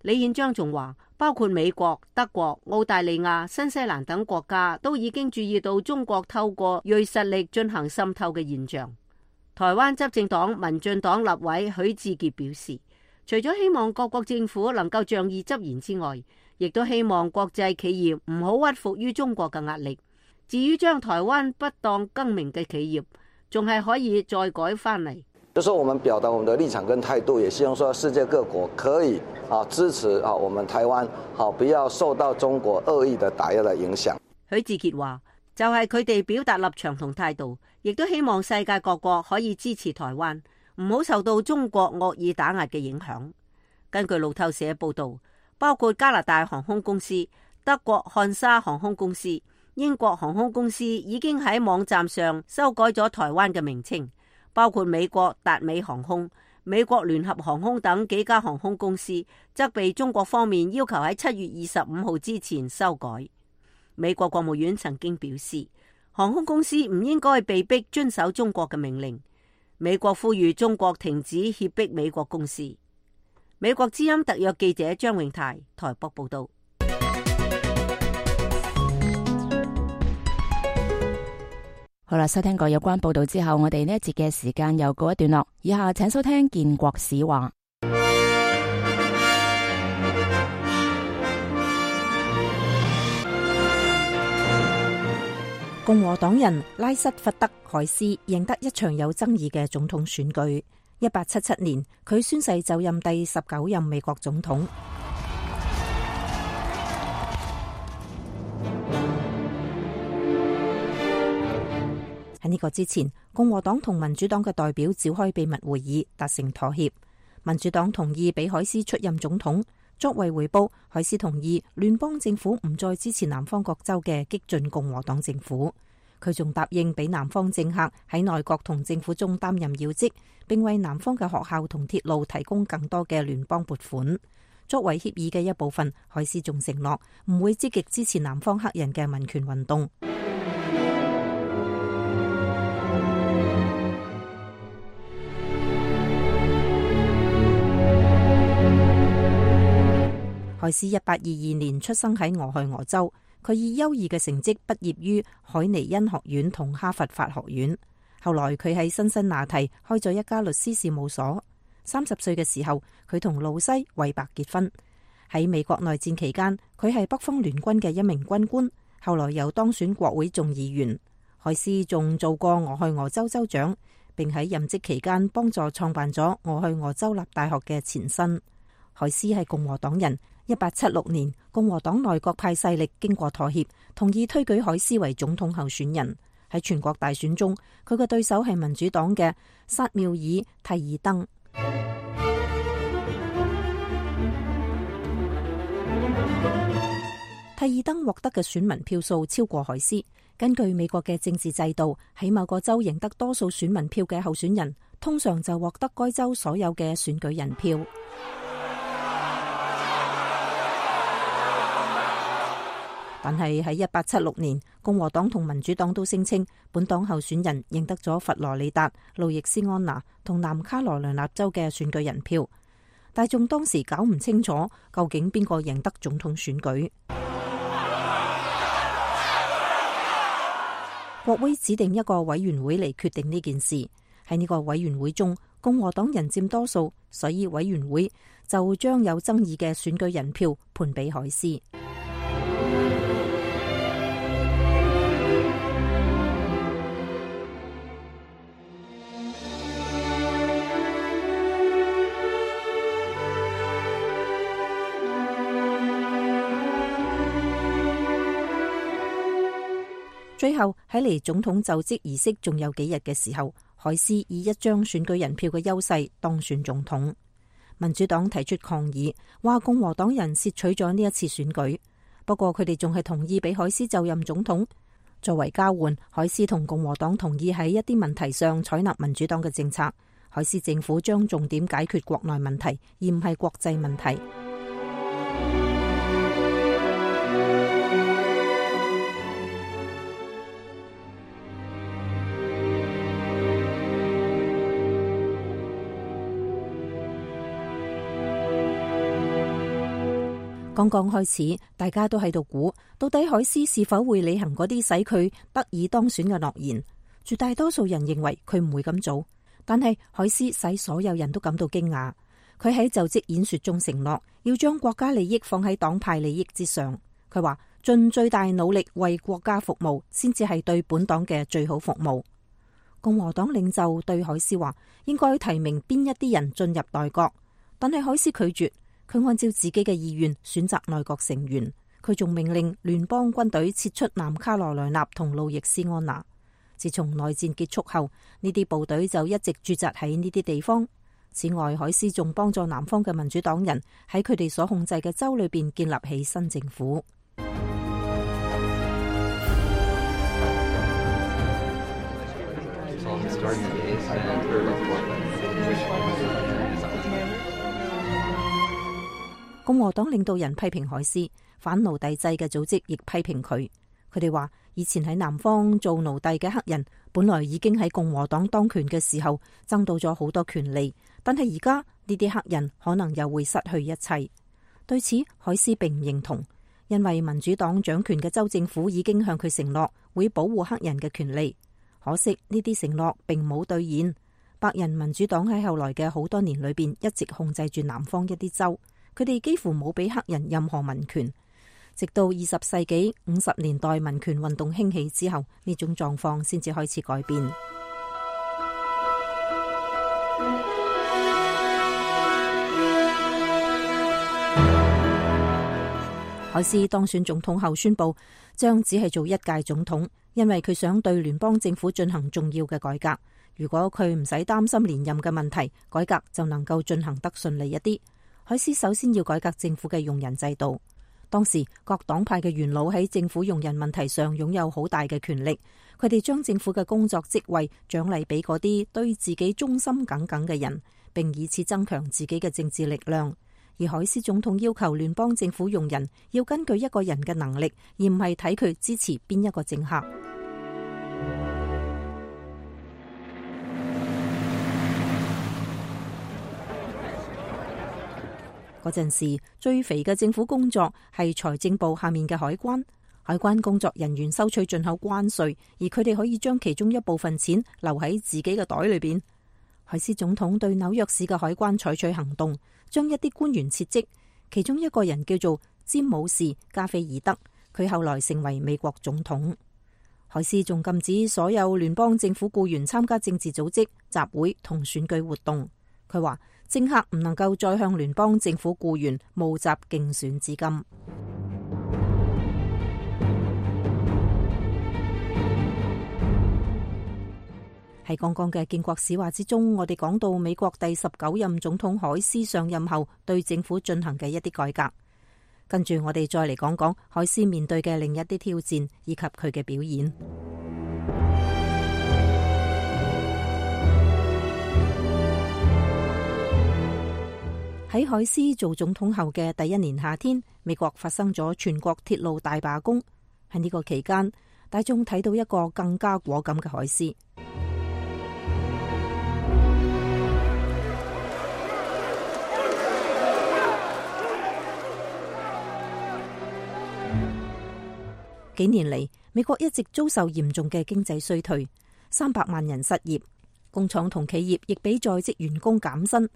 李憲章仲話，包括美國、德國、澳大利亞、新西蘭等國家都已經注意到中國透過銳實力進行滲透嘅現象。台灣執政黨民進黨立委許智傑表示，除咗希望各國政府能夠仗義執言之外，亦都希望國際企業唔好屈服於中國嘅壓力。至於將台灣不當更名嘅企業，仲係可以再改翻嚟。就說我們表達我們的立場跟態度，也希望說世界各國可以啊支持啊我們台灣，好不要受到中國惡意的打壓的影響。許智傑話，就係佢哋表達立場同態度，亦都希望世界各國可以支持台灣，唔好受到中國惡意打壓嘅影響。根據路透社報道，包括加拿大航空公司、德國漢莎航空公司、英國航空公司已經喺網站上修改咗台灣嘅名稱，包括美國達美航空、美國聯合航空等幾家航空公司，則被中國方面要求喺七月二十五號之前修改。美國國務院曾經表示，航空公司唔應該被逼遵守中國嘅命令。美國呼籲中國停止脅迫美國公司。美國之音特約記者張永泰台北報道。好啦，收聽過有關報道之後，我哋呢一節嘅時間又告一段落。以下請收聽建國史話。共和黨人拉什弗德海斯贏得一場有爭議嘅總統選舉。一八七七年，佢宣誓就任第十九任美國總統。喺呢個之前，共和黨同民主黨嘅代表召開秘密會議，達成妥協。民主黨同意俾海斯出任總統，作為回報，海斯同意聯邦政府唔再支持南方各州嘅激進共和黨政府。佢仲答應俾南方政客喺內閣同政府中擔任要職，並為南方嘅學校同鐵路提供更多嘅聯邦撥款。作為協議嘅一部分，海斯仲承諾唔會積極支持南方黑人嘅民權運動。海斯一八二二年出生喺俄亥俄州，佢以優異嘅成績畢業於海尼恩學院同哈佛法學院。後來佢喺辛辛那提開咗一家律師事務所。三十歲嘅時候，佢同露西·韋伯結婚。喺美國內戰期間，佢係北方聯軍嘅一名軍官，後來又當選國會眾議員。海斯仲做過俄亥俄州州長，並喺任職期間幫助創辦咗俄亥俄州立大學嘅前身。海斯係共和黨人。一八七六年，共和黨內閣派勢力經過妥協，同意推舉海斯為總統候選人。喺全國大選中，佢嘅對手係民主黨嘅薩繆爾·蒂爾登。蒂爾登獲得嘅選民票數超過海斯。根據美國嘅政治制度，喺某個州贏得多數選民票嘅候選人，通常就獲得該州所有嘅選舉人票。但係喺一八七六年，共和黨同民主黨都聲稱本黨候選人贏得咗佛羅里達、路易斯安那同南卡羅來納州嘅選舉人票。大眾當時搞唔清楚究竟邊個贏得總統選舉。國會指定一個委員會嚟決定呢件事。喺呢個委員會中，共和黨人佔多數，所以委員會就將有爭議嘅選舉人票判俾海斯。最後喺離總統就職儀式仲有幾日嘅時候，海斯以一張選舉人票嘅優勢當選總統。民主黨提出抗議，話共和黨人竊取咗呢一次選舉。不過佢哋仲係同意俾海斯就任總統。作為交換，海斯同共和黨同意喺一啲問題上採納民主黨嘅政策。海斯政府將重點解決國內問題，而唔係國際問題。剛剛開始，大家都喺度估，到底海斯是否會履行嗰啲使佢得以當選嘅諾言。絕大多數人認為佢唔會咁做，但係海斯使所有人都感到驚訝。佢喺就職演說中承諾要將國家利益放喺黨派利益之上。佢話盡最大努力為國家服務，先至係對本黨嘅最好服務。共和黨領袖對海斯話，應該提名邊一啲人進入內閣，但係海斯拒絕。佢按照自己嘅意願選擇內閣成員，佢仲命令聯邦軍隊撤出南卡羅來納同路易斯安那。自從內戰結束後，呢啲部隊就一直駐紮喺呢啲地方。此外，海斯仲幫助南方嘅民主黨人喺佢哋所控制嘅州裏邊建立起新政府。共和黨領導人批評海斯，反奴隸制嘅組織亦批評佢。佢哋話，以前喺南方做奴隸嘅黑人，本來已經喺共和黨當權嘅時候爭到咗好多權利，但係而家呢啲黑人可能又會失去一切。對此，海斯並唔認同，因為民主黨掌權嘅州政府已經向佢承諾會保護黑人嘅權利。可惜呢啲承諾並冇兌現。白人民主黨喺後來嘅好多年裏邊一直控制住南方一啲州。佢哋幾乎冇俾黑人任何民權。直到二十世紀五十年代民權運動興起之後，呢種狀況先至開始改變。海斯當選總統後宣布，將只係做一屆總統，因為佢想對聯邦政府進行重要嘅改革。如果佢唔使擔心連任嘅問題，改革就能夠進行得順利一啲。海斯首先要改革政府嘅用人制度。當時各黨派嘅元老喺政府用人問題上擁有好大嘅權力，佢哋將政府嘅工作職位獎勵俾嗰啲對自己忠心耿耿嘅人，並以此增強自己嘅政治力量。而海斯總統要求聯邦政府用人要根據一個人嘅能力，而唔係睇佢支持邊一個政客。嗰陣時最肥嘅政府工作係財政部下面嘅海關。海關工作人員收取進口關稅，而佢哋可以將其中一部分錢留喺自己嘅袋裏邊。海斯總統對紐約市嘅海關採取行動，將一啲官員撤職，其中一個人叫做詹姆士加菲爾德，佢後來成為美國總統。海斯仲禁止所有聯邦政府僱員參加政治組織、集會同選舉活動。佢話政客唔能夠再向聯邦政府僱員募集競選資金。喺剛剛嘅建國史話之中，我哋講到美國第十九任總統海斯上任後對政府進行嘅一啲改革。跟住我哋再嚟講講海斯面對嘅另一啲挑戰以及佢嘅表現。喺海斯做總統後嘅第一年夏天，美國發生咗全國鐵路大罷工。喺呢個期間，大眾睇到一個更加果敢嘅海斯。幾年嚟，美國一直遭受嚴重嘅經濟衰退，三百萬人失業，工廠同企業亦俾在職員工減薪。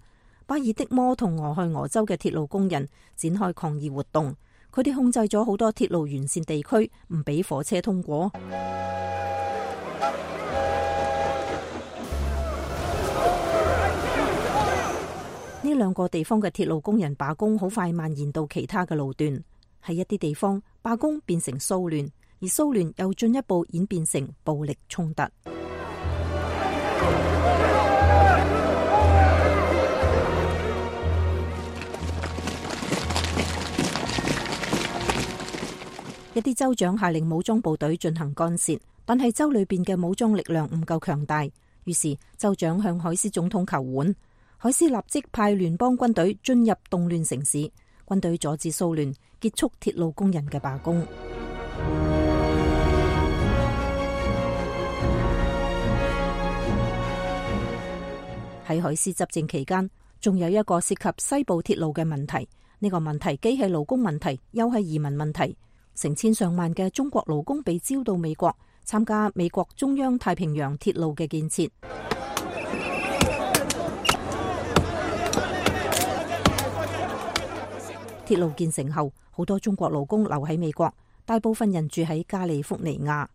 巴爾的摩同俄亥俄州嘅鐵路工人展開抗議活動，佢哋控制咗好多鐵路沿線地區，唔俾火車通過。呢兩個地方嘅鐵路工人罷工好快蔓延到其他嘅路段。喺一啲地方，罷工變成騷亂，而騷亂又進一步演變成暴力衝突。一啲州長下令武裝部隊進行干涉，但係州裏邊嘅武裝力量唔夠強大，於是州長向海斯總統求援。海斯立即派聯邦軍隊進入動亂城市，軍隊阻止騷亂，結束鐵路工人嘅罷工。喺海斯執政期間，仲有一個涉及西部鐵路嘅問題。呢個問題既係勞工問題，又係移民問題。成千上萬嘅中國勞工被招到美國，參加美國中央太平洋鐵路嘅建設。鐵路建成後，好多中國勞工留喺美國，大部分人住喺加利福尼亞。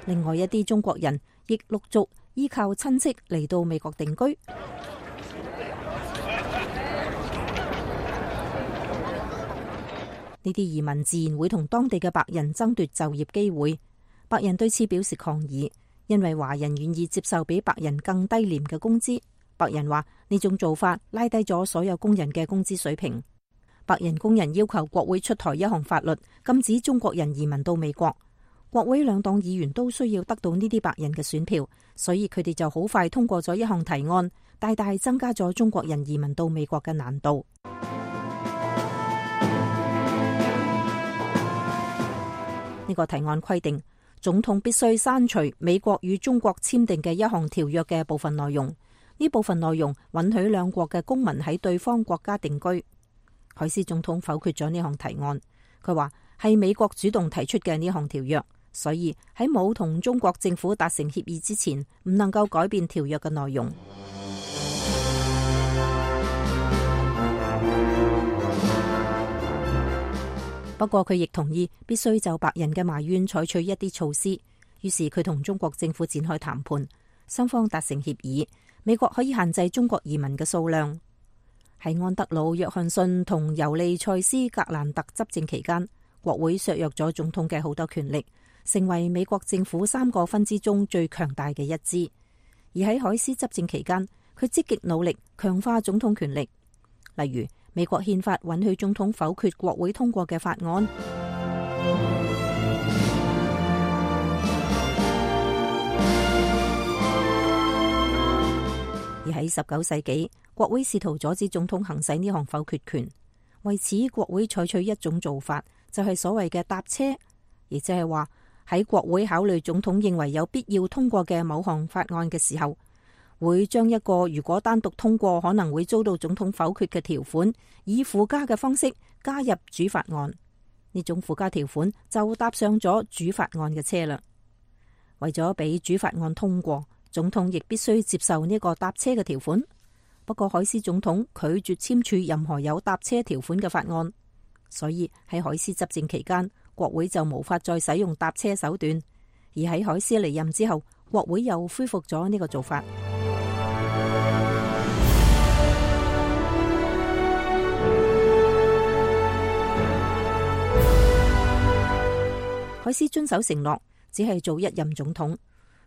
另外一啲中國人亦陸續依靠親戚嚟到美國定居。呢啲移民自然會同當地嘅白人爭奪就業機會。白人對此表示抗議，因為華人願意接受比白人更低廉嘅工資。白人話呢種做法拉低咗所有工人嘅工資水平。白人工人要求國會出台一項法律，禁止中國人移民到美國。國會兩黨議員都需要得到呢啲白人嘅選票，所以佢哋就好快通過咗一項提案，大大增加咗中國人移民到美國嘅難度。呢個提案規定，總統必須刪除美國與中國簽訂嘅一項條約嘅部分內容。呢部分內容允許兩國嘅公民喺對方國家定居。海斯總統否決咗呢項提案，佢話係美國主動提出嘅呢項條約，所以喺冇同中國政府達成協議之前，唔能夠改變條約嘅內容。不過佢亦同意必須就白人嘅埋怨採取一啲措施，於是佢同中國政府展開談判，雙方達成協議，美國可以限制中國移民嘅數量。喺安德魯·約翰遜同尤利塞斯·格蘭特執政期間，國會削弱咗總統嘅好多權力，成為美國政府三個分支中最強大嘅一支。而喺海斯執政期間，佢積極努力強化總統權力，例如美國憲法允許總統否決國會通過嘅法案。而喺十九世紀，國會試圖阻止總統行使呢項否決權，為此國會採取一種做法，就係所謂嘅搭車，亦即係話喺國會考慮總統認為有必要通過嘅某項法案嘅時候，會將一個如果單獨通過可能會遭到總統否決嘅條款，以附加嘅方式加入主法案。呢種附加條款就搭上咗主法案嘅車啦。為咗俾主法案通過，總統亦必須接受呢個搭車嘅條款。不過海斯總統拒絕簽署任何有搭車條款嘅法案，所以喺海斯執政期間，國會就無法再使用搭車手段。而喺海斯離任之後，國會又恢復咗呢個做法。海斯遵守承諾，只係做一任總統。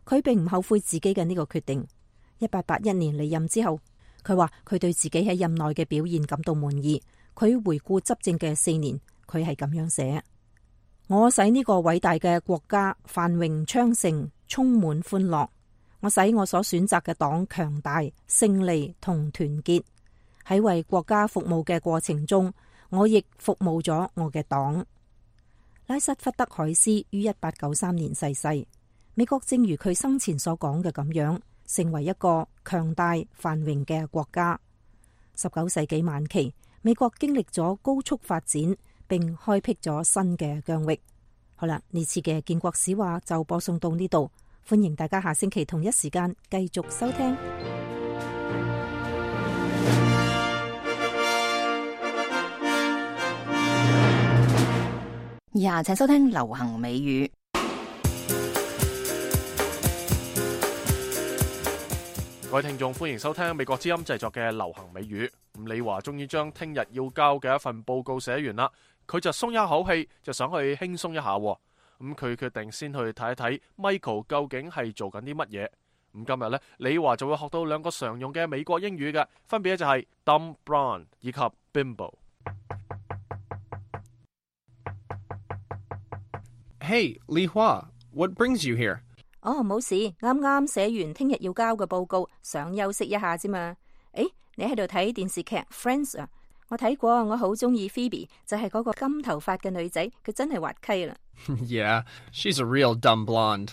佢並唔後悔自己嘅呢個決定。一八八一年離任之後，佢話佢對自己喺任內嘅表現感到滿意。佢回顧執政嘅四年，佢係咁樣寫：我使呢個偉大嘅國家繁榮昌盛，充滿歡樂。我使我所選擇嘅黨強大、勝利同團結。喺為國家服務嘅過程中，我亦服務咗我嘅黨。拉瑟福德海斯於一八九三年逝世。美國正如佢生前所講嘅咁樣，成為一個強大繁榮嘅國家。十九世紀晚期，美國經歷咗高速發展，並開闢咗新嘅疆域。好啦，呢次嘅建國史話就播送到呢度，歡迎大家下星期同一時間繼續收聽。以下請收聽流行美語。各位聽眾，歡迎收聽美國之音製作嘅流行美語。咁李華終於將聽日要交嘅一份報告寫完啦，佢就鬆一口氣，就想去輕鬆一下。咁佢決定先去睇一睇 Michael 究竟係做緊啲乜嘢。咁今日呢，李華就會學到兩個常用嘅美國英語嘅，分別就係 dumb blonde 以及 bimbo。Hey, Li Hua, what brings you here? 哦，冇事，啱啱寫完聽日要交嘅報告，想休息一下啫嘛。誒，你喺度睇電視劇 Friends 啊？我睇過，我好中意 Phoebe，就係嗰個金頭髮嘅女仔，佢真係滑稽啦。Yeah, she's a real dumb blonde.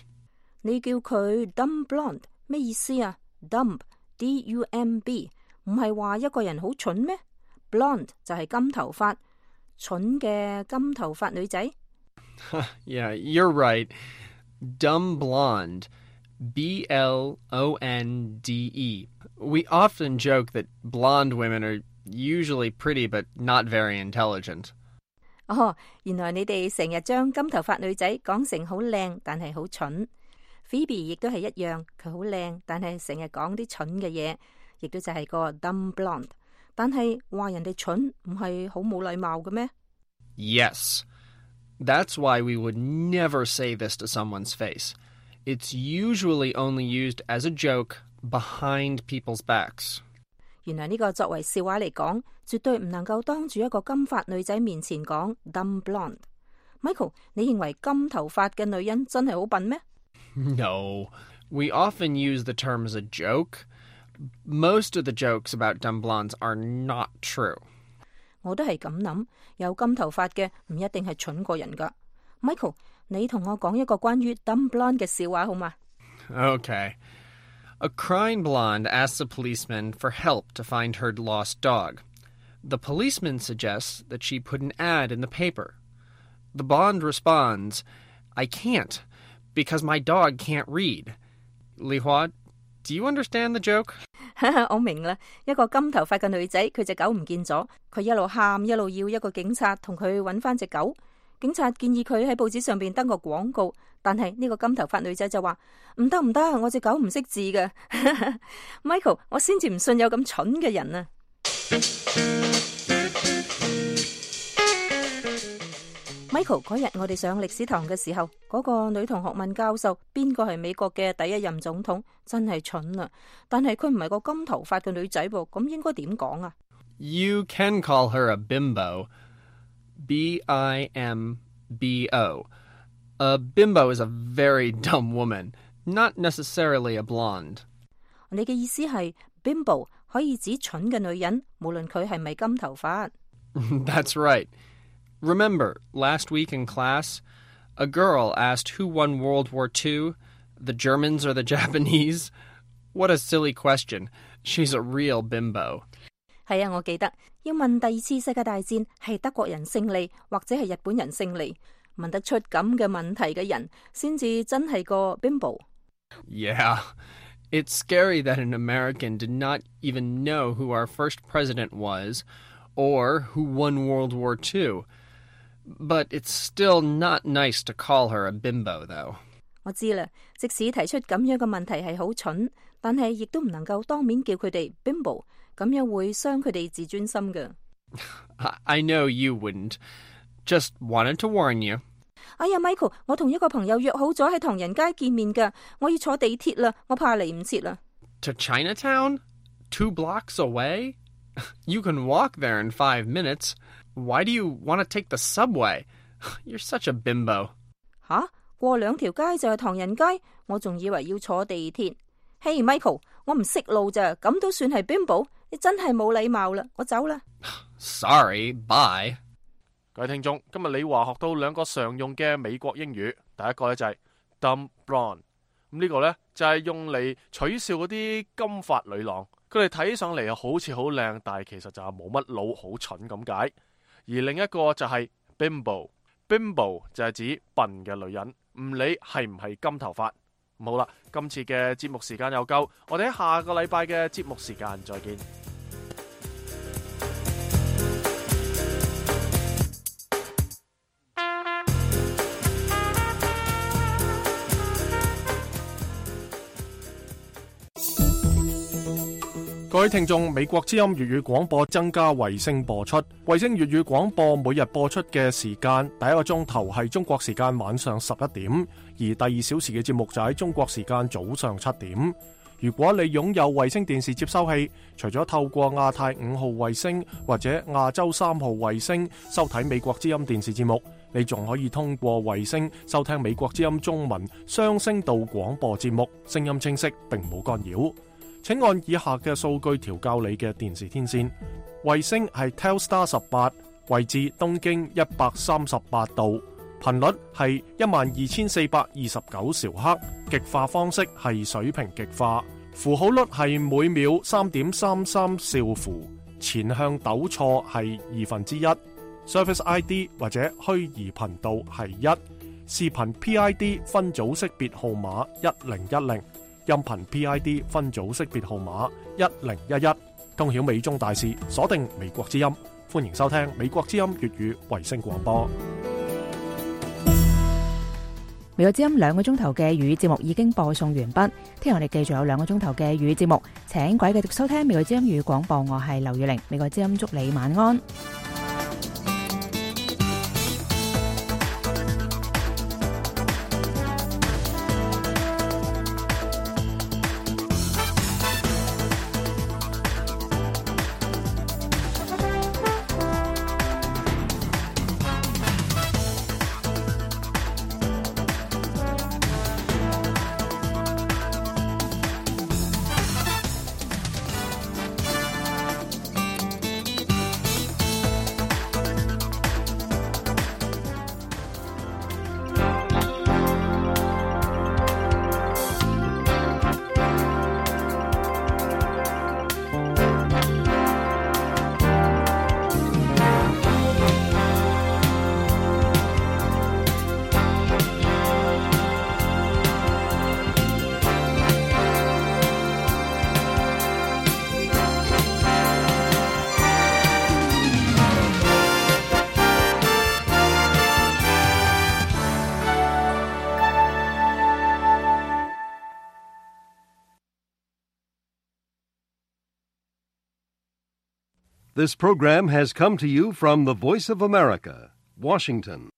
你叫佢 dumb blonde 咩意思啊？ dumb D U M B 唔係話一個人好蠢咩？ blonde 就係金頭髮，蠢嘅金頭髮女仔。Yeah, you're right. Dumb blonde. B L O N D E. We often joke that blonde women are usually pretty but not very intelligent. 哦，原來你哋成日將金頭髮女仔講成好靚，但係好蠢。Phoebe 亦都係一樣，佢好靚，但係成日講啲蠢嘅嘢，亦都就係個 dumb blonde。但係話人哋蠢唔係好冇禮貌嘅咩？ Yes. That's why we would never say this to someone's face. It's usually only used as a joke behind people's backs. 原來呢個作為笑話嚟講，絕對唔能夠當住一個金髮女仔面前講 dumb blonde。Michael， 你認為金頭髮嘅女人真係好笨咩？ No. We often use the term as a joke. Most of the jokes about dumb blondes are not true. 我都係咁諗，有金頭髮嘅唔一定係蠢過人噶。Michael， 你同我講一個關於 dumb blonde 嘅笑話好嗎？ Okay. A crying blonde asks a policeman for help to find her lost dog. The policeman suggests that she put an ad in the paper. The Bond responds, I can't, because my dog can't read. Li Hua, do you understand the joke? 我明啦，一個金頭髮嘅女仔，佢隻狗唔見咗，佢一路喊一路要一個警察同佢揾翻隻狗。警察建議佢喺報紙上邊登個廣告，但係呢個金頭髮女仔就話唔得唔得，我隻狗唔識字嘅。Michael， 我先至唔信有咁蠢嘅人啊！Michael， 嗰日我哋上歷史堂嘅時候，嗰個女同學問教授邊個係美國嘅第一任總統，真係蠢啊！但係佢唔係個金頭髮嘅女仔噃，咁應該點講啊？ You can call her a bimbo. B I M B O. A bimbo is a very dumb woman, not necessarily a blonde. 你嘅意思係 bimbo 可以指蠢嘅女人，無論佢係咪金頭髮。That's right.Remember, last week in class, a girl asked who won World War Two, the Germans or the Japanese? What a silly question. She's a real bimbo. 係啊，我記得要問第二次世界大戰係德國人勝利或者係日本人勝利，問得出咁嘅問題嘅人先至真係個 bimbo. Yeah, it's scary that an American did not even know who our first president was or who won World War Two.But it's still not nice to call her a bimbo, though. 我知啦，即使提出咁樣嘅問題係好蠢，但係亦都唔能夠當面叫佢哋 bimbo， 咁樣會傷佢哋自尊心㗎。I know you wouldn't. Just wanted to warn you. 哎呀 ，Michael， 我同一個朋友約好咗喺唐人街見面㗎，我要坐地鐵啦，我怕嚟唔切啦。To Chinatown? Two blocks away? You can walk there in five minutes.Why do you want to take the subway? You're such a bimbo. 吓，過兩條街就係唐人街，我仲以為要坐地鐵。Hey Michael， 我唔識路咋，咁都算係 bimbo？ 你真係冇禮貌啦，我走啦。Sorry, bye. 各位聽眾，今日李華學到兩個常用嘅美國英語，第一個咧就係 dumb blonde， 咁呢個咧就係用嚟取笑嗰啲金髮女郎，佢哋睇上嚟又好似好靚，但係其實就係冇乜腦，好蠢咁解。而另一個就係 bimbo， bimbo 就係指笨嘅女人，唔理係唔係金頭髮。好啦，今次嘅節目時間又夠，我哋喺下個禮拜嘅節目時間再見。各位聽眾，美國之音粵語廣播增加衛星播出。衛星粵語廣播每日播出嘅時間，第一個鐘頭係中國時間晚上十一點，而第二小時嘅節目就喺中國時間早上七點。如果你擁有衛星電視接收器，除咗透過亞太五號衛星或者亞洲三號衛星收睇美國之音電視節目，你仲可以通過衛星收聽美國之音中文雙聲道廣播節目，聲音清晰並冇干擾。請按以下嘅數據調校你嘅電視天線。衛星係 Telstar 十八，位置東經一百三十八度，頻率係一萬二千四百二十九兆赫，極化方式係水平極化，符號率係每秒三點三三兆符，前向抖錯係二分之一， Service I D 或者虛擬頻道係一，視頻 P I D 分組識別號碼一零一零。音頻 P I D 分組識別號碼一零一一，通曉美中大事，鎖定美國之音，歡迎收聽美國之音粵語衛星廣播。美國之音兩個鐘頭嘅粵語節目已經播送完畢，聽日我哋繼續有兩個鐘頭嘅粵語節目，請各位繼續收聽美國之音粵語廣播，我係劉雨玲，美國之音祝你晚安。This program has come to you from the Voice of America, Washington.